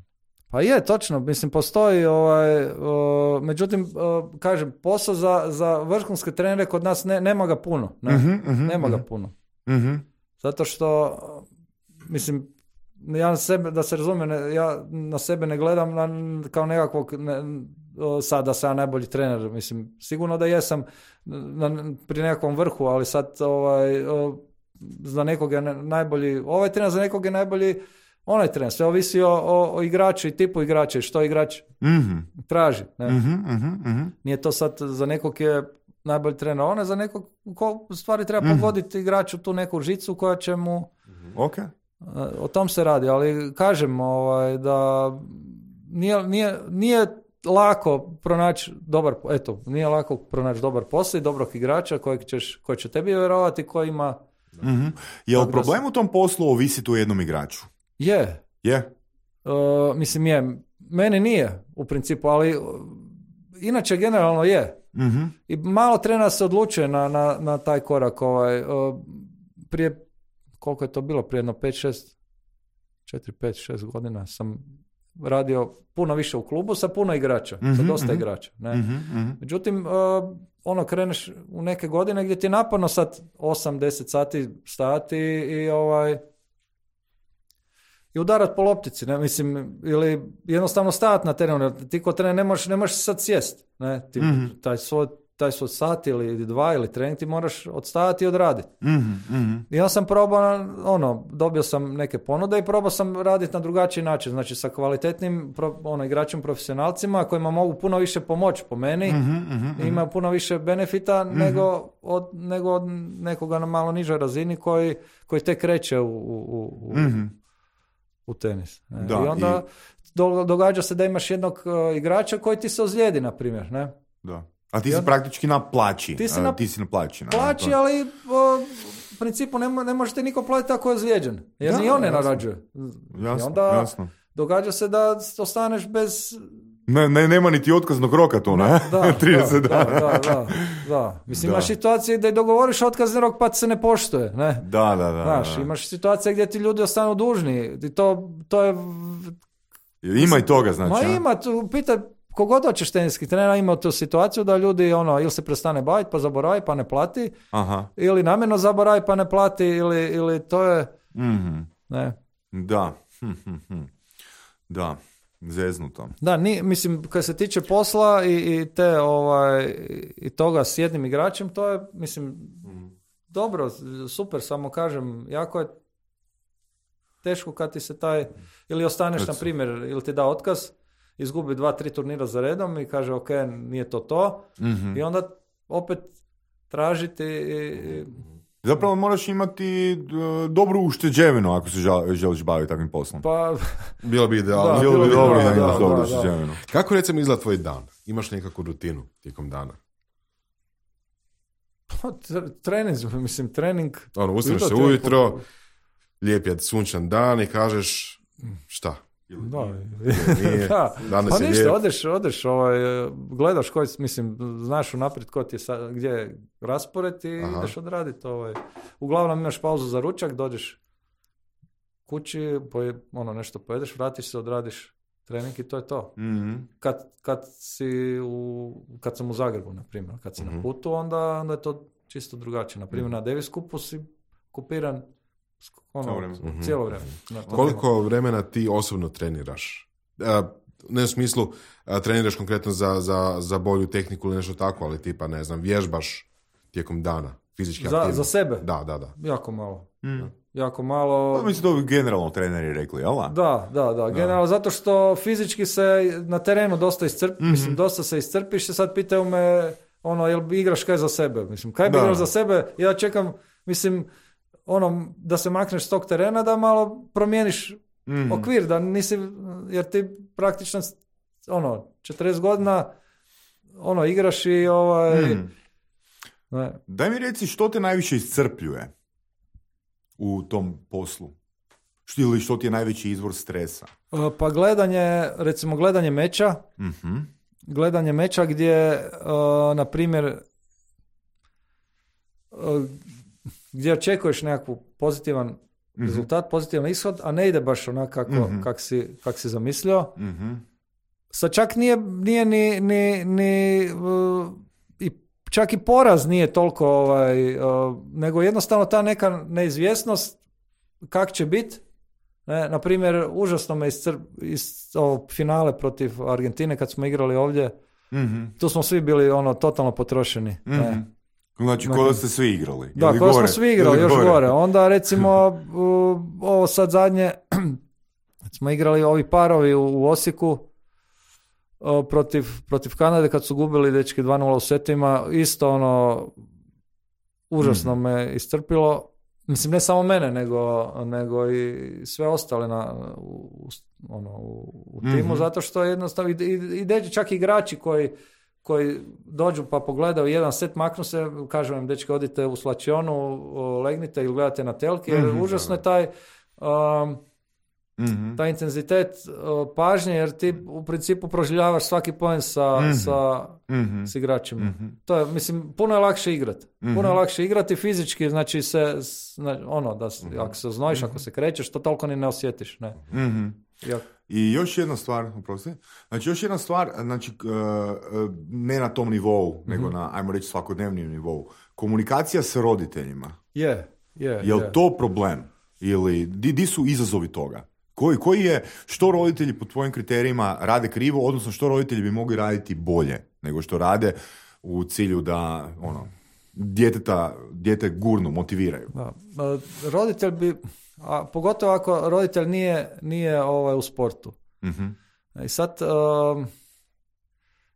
Pa je, točno, mislim, postoji, međutim, kažem, posao za vrhunske trenere kod nas nema ga puno. Nema ga puno. Zato što, mislim, ja da se razumijem, ja na sebe ne gledam kao nekakvog, sad da sam ja najbolji trener, mislim, sigurno da jesam pri nekakvom vrhu, ali sad za nekog je najbolji, ovaj trener za nekog je najbolji onaj trener, sve ovisi o igraču i tipu igrača i što igrač traži. Ne? Nije to sad za nekog je najbolji trener, on je za nekog ko u stvari treba pogoditi igraču tu neku žicu koja će mu... Okay. O tom se radi, ali kažem da nije lako pronaći dobar posao i dobrog igrača koji će tebi vjerovati, koji ima... Je li problem u tom poslu ovisiti o jednom igraču? Je. Mislim je. Meni nije u principu, ali inače generalno je. I malo trenera se odlučuje na taj korak. Prije, koliko je to bilo? Prije jedno 4, 5, 6 godina sam radio puno više u klubu sa puno igrača, sa dosta igrača. Ne? Međutim, kreneš u neke godine gdje ti je naporno sad 8-10 sati stajati i udarat po loptici, ne? Mislim, ili jednostavno stajati na terenu. Ti ko trener ne možeš sad sjest. Ne? Ti, taj svoj sat ili 2 ili trening ti moraš odstajati i odraditi. I ja sam probao, dobio sam neke ponude i probao sam raditi na drugačiji način, znači sa kvalitetnim igračima profesionalcima kojima mogu puno više pomoći po meni, imaju puno više benefita nego od nekoga na malo nižoj razini koji tek kreće u tenis. Ne? Da, I onda događa se da imaš jednog igrača koji ti se ozlijedi, na primjer. Ne? Da. A ti si praktički na plaći. Ti si na plaći. Plaći, ali u principu ne možete niko platiti ako je ozlijeđen. Jer ni on ne narađuje. Jasno, i onda događa se da ostaneš bez... Nema niti otkaznog roka to, ne? 30 dana. Da. Mislim, imaš situacije gdje dogovoriš otkazni rok pa se ne poštuje. Ne? Da. Znaš, imaš situacije gdje ti ljudi ostanu dužni. I to je... Ima i toga, znači. Ima, pitaj... Kogod hoćeš teniski trener ima tu situaciju da ljudi ili se prestane baviti pa zaboravi pa ne plati, ili namjerno zaboravi pa ne plati, ili to je... Ne. Da. Da, zeznuto. Da, mislim, kad se tiče posla i toga s jednim igračem, to je, mislim, dobro, super, samo kažem, jako je teško kad ti se ili ostaneš, na primjer, ili ti da otkaz, izgubi 2-3 turnira za redom i kaže ok, nije to. I onda opet tražiti Zapravo moraš imati dobru ušteđevinu ako se želiš baviti takvim poslom. Pa, bilo bi idealno. Bilo bi dobro da imaš dobru ušteđevinu. Kako recimo izgleda tvoj dan? Imaš nekakvu rutinu tijekom dana? Pa, trening. Ustaneš se ujutro, lijep je sunčan dan i kažeš šta? Pa ništa, odeš, gledaš koji, mislim, znaš unaprijed gdje je raspored i ideš odraditi. Uglavnom imaš pauzu za ručak, dođeš kući, nešto pojedeš, vratiš se, odradiš trening i to je to. Kad sam u Zagrebu, na primjer, kad si na putu, onda je to čisto drugačije. Na primjer, na Davis Cupu si kupiran cijelo vrijeme. Koliko vremena ti osobno treniraš? Ne u smislu treniraš konkretno za bolju tehniku ili nešto tako, ali tipa, ne znam, vježbaš tijekom dana, fizički aktivno. Za sebe? Da. Jako malo. Jako malo. Mislim, to bi generalno treneri rekli, jel? Da. Generalno, zato što fizički se na terenu dosta mislim, dosta se iscrpiš i sad pitaju me, jel igraš kaj za sebe? Mislim, kaj bi igraš za sebe? Ja čekam, mislim, da se makneš s tog terena, da malo promijeniš okvir, da nisi, jer ti praktično 40 godina igraš i ne. Daj mi reci što te najviše iscrpljuje u tom poslu? Ili što ti je najveći izvor stresa? Pa gledanje meča. Gledanje meča gdje, na primjer, gdje očekuješ nekakvu pozitivan rezultat, pozitivan ishod, a ne ide baš onako kak si zamislio. Sad čak nije i čak i poraz nije toliko nego jednostavno ta neka neizvjesnost kak će biti. Na primjer, užasno me iz finale protiv Argentine kad smo igrali ovdje, tu smo svi bili totalno potrošeni. Znači, ko ste svi igrali? Da, ko smo svi igrali, još gore. Onda recimo, ovo sad zadnje, smo igrali ovi parovi u Osijeku protiv Kanade kad su gubili dečki 2-0 u setima, isto užasno me iscrpilo. Mislim, ne samo mene, nego i sve ostale u timu, zato što jednostavno i čak igrači koji dođu pa pogledaju jedan set, maknu se, kažem im, dečki, odite u slačionu, legnite ili gledate na telki, jer užasno je taj intenzitet pažnje, jer ti u principu proživljavaš svaki poen s igračima. To je, mislim, puno je lakše igrati. Puno je lakše igrati fizički, znači ako se znojiš, ako se krećeš, to toliko ni ne osjetiš. Ne. I još jedna stvar, znači, ne na tom nivou, nego na, ajmo reći, svakodnevnim nivou. Komunikacija s roditeljima. Jel to problem? Ili di su izazovi toga? Koji je, što roditelji po tvojim kriterijima rade krivo, odnosno što roditelji bi mogli raditi bolje nego što rade u cilju da dijete gurnu, motiviraju? Roditelj bi, a pogotovo ako roditelj nije u sportu. I sad,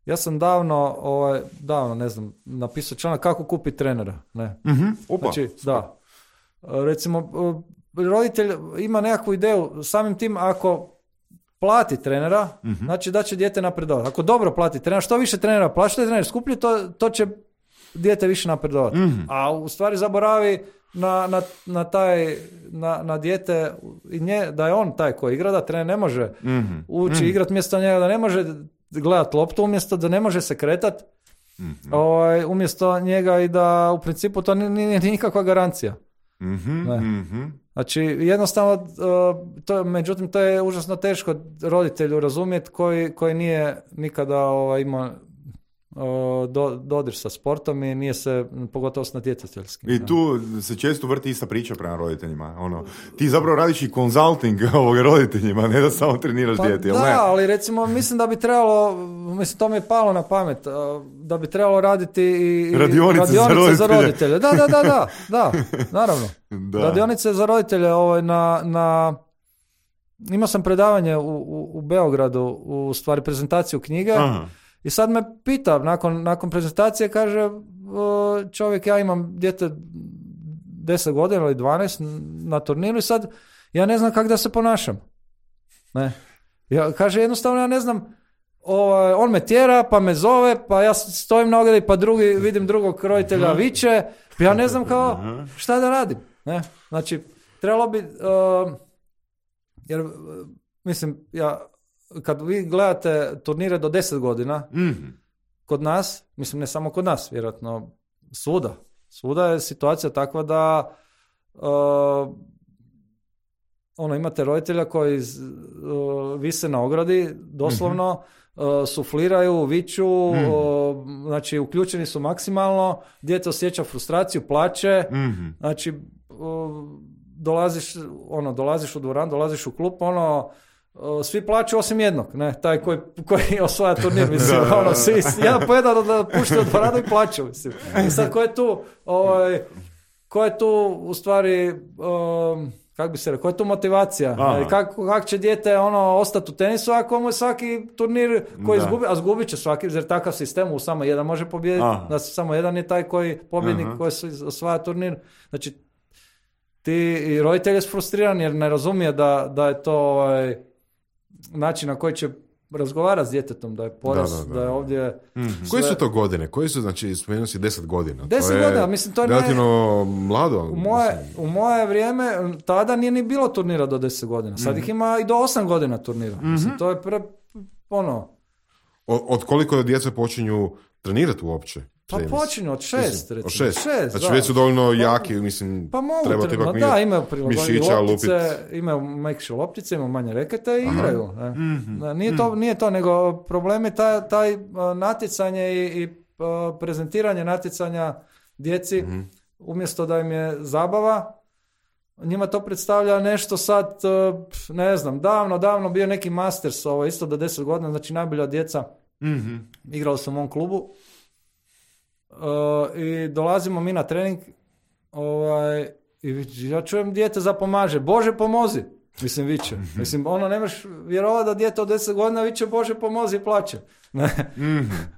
ja sam davno, ne znam, napisao članak kako kupiti trenera. Ne? Znači, da. Recimo, roditelj ima nekakvu ideju, samim tim ako plati trenera, znači da će dijete napredovati. Ako dobro plati trenera, što više trenera plati, što je trener skuplji, to će dijete više napredovati. A u stvari zaboravi na dijete i da je on taj koji igra, da trener ne može ući igrati mjesto njega, da ne može gledati loptu umjesto, da ne može se kretati umjesto njega i da u principu to nije nikakva garancija. Znači, jednostavno, međutim, to je užasno teško roditelju razumjeti koji nije nikada imao dodir sa sportom i nije se, pogotovo s natjecateljskim. I tu se često vrti ista priča prema roditeljima. Ti zapravo radiš i konzulting roditeljima, ne da samo treniraš dijete, jel ne? Da, ali recimo, mislim da bi trebalo, to mi je palo na pamet, da bi trebalo raditi i radionice za roditelje. Da, naravno. Da. Radionice za roditelje, imao sam predavanje u Beogradu, u stvari prezentaciju knjige. Aha. I sad me pita, nakon prezentacije, kaže čovjek, ja imam dijete 10 godina ili 12 na turniru i sad ja ne znam kako da se ponašam. Ne. Kaže, jednostavno ja ne znam, on me tjera, pa me zove, pa ja stojim na ogradi, pa vidim drugog roditelja viče, ja ne znam šta da radim. Ne. Znači, trebalo bi, jer mislim, kad vi gledate turnire do 10 godina, kod nas, mislim ne samo kod nas, vjerojatno svuda je situacija takva da imate roditelja koji vise na ogradi, doslovno, sufliraju, viču, znači uključeni su maksimalno, dijete osjeća frustraciju, plače, znači dolaziš u dvoranu, dolaziš u klub, svi plaću osim jednog, ne, taj koji osvaja turnir, mislim, jedan po jedan da pušte od dvoranu i plaću, mislim. I sad ko je tu u stvari, kako bi se rekao, koja je tu motivacija? Kako će dijete ostati u tenisu ako mu je svaki turnir koji izgubi, a zgubit će svaki, jer takav sistem u samo jedan može pobijediti, da samo jedan je taj koji pobjednik koji osvaja turnir. Znači, ti roditelj je frustriran jer ne razumije da je to način na koji će razgovarati s djetetom, da je poraz, da je ovdje... Koje su to godine? Koji su, znači, spomenuo si 10 godina? 10 godina, mislim, to je relativno mlado. U moje vrijeme, tada nije ni bilo turnira do 10 godina. Sad ih ima i do 8 godina turnira. Mislim, to je Od koliko djeca počinju trenirati uopće? Pa počinju od 6, recimo. Od 6. Znači da. već su dovoljno jaki, mislim, pa mogu treba trenutno, ipak da, imaju mišića loptice, imaju mekše loptice, imaju manje rekete i igraju. Nije to, nego problem je taj natjecanje i prezentiranje natjecanja djeci, umjesto da im je zabava, njima to predstavlja nešto sad, ne znam, davno bio neki Masters, isto do 10 godina, znači najbolja djeca, igrali su u mom klubu, i dolazimo mi na trening, i ja čujem dijete zapomaže, Bože pomozi, mislim viče, mislim ne možeš vjerovati da dijete od 10 godina viče Bože pomozi i plaće, ne,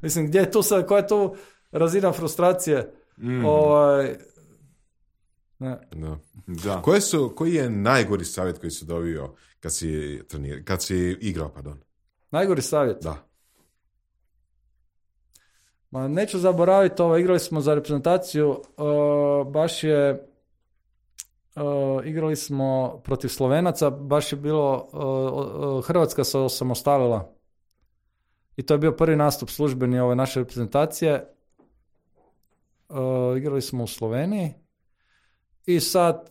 mislim gdje je tu sad, koja je tu razina frustracije, ne. Da. Koji je najgori savjet koji si dobio kad si igrao, pardon? Najgori savjet? Da. Ma neću zaboraviti igrali smo za reprezentaciju, baš je, igrali smo protiv Slovenaca, baš je bilo, Hrvatska se osamostalila. I to je bio prvi nastup službeni ove naše reprezentacije. Igrali smo u Sloveniji. I sad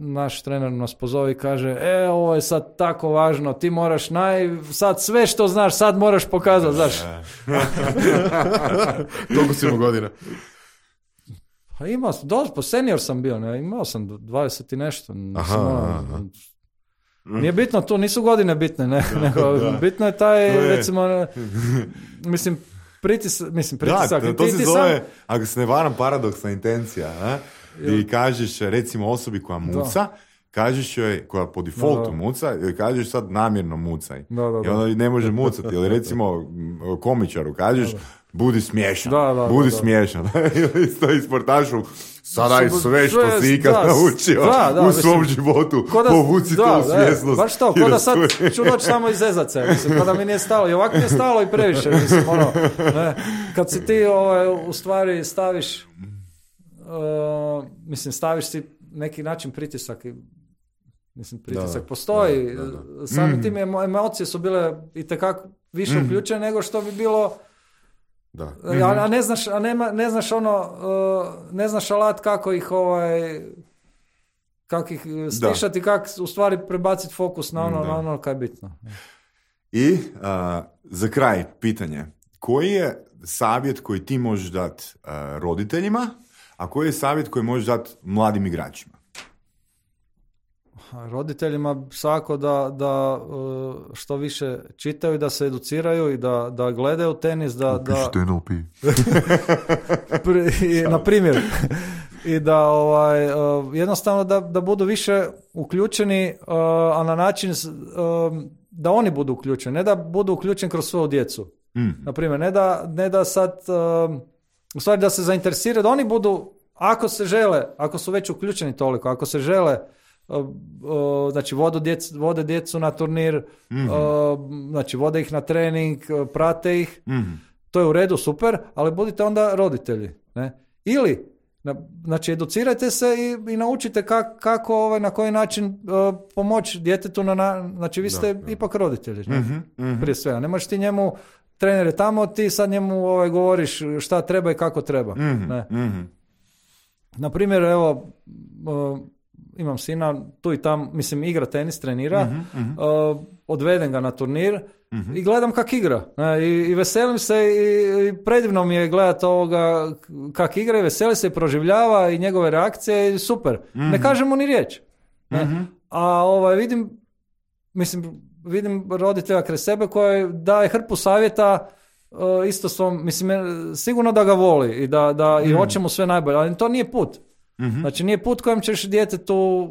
naš trener nas pozove i kaže, ovo je sad tako važno, ti moraš sad sve što znaš, sad moraš pokazati, znaš. Koliko si imao godina? Pa imao sam, senior sam bio, ne, imao sam 20 i nešto. Nije bitno, tu nisu godine bitne, ne, nego bitno je taj, recimo, mislim, pritisak. Da, to se zove, ako se ne varam, paradoksna intencija. I kažeš, recimo, osobi koja muca, kažeš joj, koja po defaultu muca, joj kažeš sad namjerno mucaj. I onda ne može mucati. Ili recimo komičaru kažeš, budi smiješan. Budi smiješan. Ili sportašu, sada sve što si ikad naučio u svom životu, povuci to u svjesnost. Baš to, ko da sad ću doći samo iz zezace, mislim, kada mi nije stalo. I ovako mi je stalo i previše, mislim, ne. Kad si ti u stvari staviš, staviš si neki način pritisak, pritisak postoji, sami tim emocije su bile itekako više uključene nego što bi bilo. Da. A ne znaš alat kako ih stišati, kako u stvari prebaciti fokus na ono kaj je bitno. I za kraj pitanje, koji je savjet koji ti možeš dati roditeljima, a koji je savjet koji možeš dati mladim igračima? Roditeljima svako da što više čitaju, da se educiraju i da gledaju tenis, na primjer, i da jednostavno da budu više uključeni, a na način da oni budu uključeni, ne da budu uključeni kroz svoju djecu. Na primjer, ne da sad u stvari da se zainteresiraju, da oni budu, ako se žele, ako su već uključeni toliko, ako se žele, znači vode djecu na turnir, znači vode ih na trening, prate ih, to je u redu, super, ali budite onda roditelji, ne? Ili znači educirajte se i naučite kako na koji način pomoći djetetu, znači vi ste ipak roditelji, prije svega, ne možeš ti njemu, trener je tamo, ti sad njemu govoriš šta treba i kako treba, ne? Na primjer, evo, imam sina, tu i tam, igra tenis, trenira, odvedem ga na turnir i gledam kak igra. I veselim se i predivno mi je gledati ovoga kak igra i veseli se i proživljava i njegove reakcije i super. Ne kažem mu ni riječ. A vidim roditelja kraj sebe koji daje hrpu savjeta isto svom, sigurno da ga voli i da i hoće mu sve najbolje, ali to nije put. Znači nije put kojem ćeš djetetu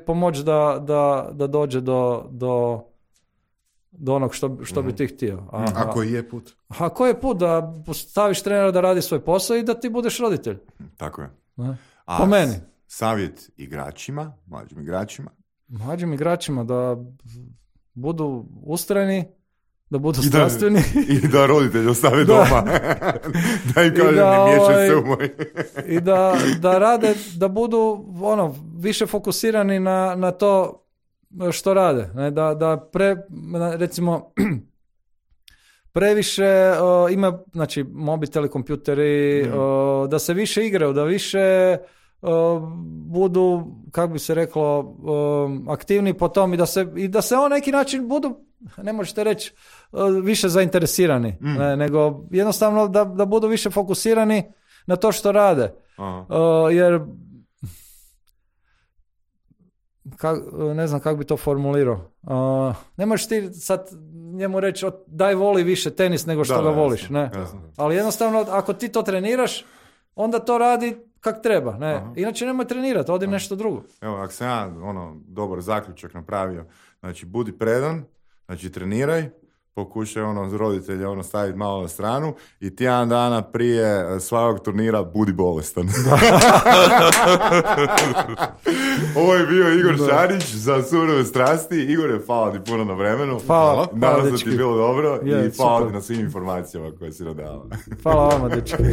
pomoći da dođe do onog što bi ti htio. A koji je put? A koji je put? Da staviš trenera da radi svoj posao i da ti budeš roditelj. Tako je. Po meni. Savjet igračima, mlađim igračima da budu ustrajni, da budu strastveni. I da roditelj ostave doma. Da im kažem, ne miješaj se u moj. I da rade, da budu više fokusirani na to što rade. Ne? Recimo, previše ima, znači, mobiteli, kompjuteri, da se više igraju, da više budu, kako bi se reklo, aktivni po tom i da se on neki način budu, ne možete reći, više zainteresirani, nego jednostavno da budu više fokusirani na to što rade. Jer ne znam kako bi to formulirao. Ne možeš ti sad njemu reći daj voli više tenis nego što ga voliš. Jasno, ne? Jasno. Ali jednostavno ako ti to treniraš, onda to radi kak treba. Ne? Inače nemoj trenirati, odi nešto drugo. Evo, ako sam ja dobar zaključak napravio, znači budi predan, znači treniraj, pokušaj roditelja staviti malo na stranu i tjedan dana prije svakog turnira budi bolestan. Ovo je bio Igor Šarić za Surove strasti. Igore, hvala ti puno na vremenu. Hvala. Nadam se da ti je bilo dobro i hvala super. ti na svim informacijama koje si nam dala. Hvala vama, dečki.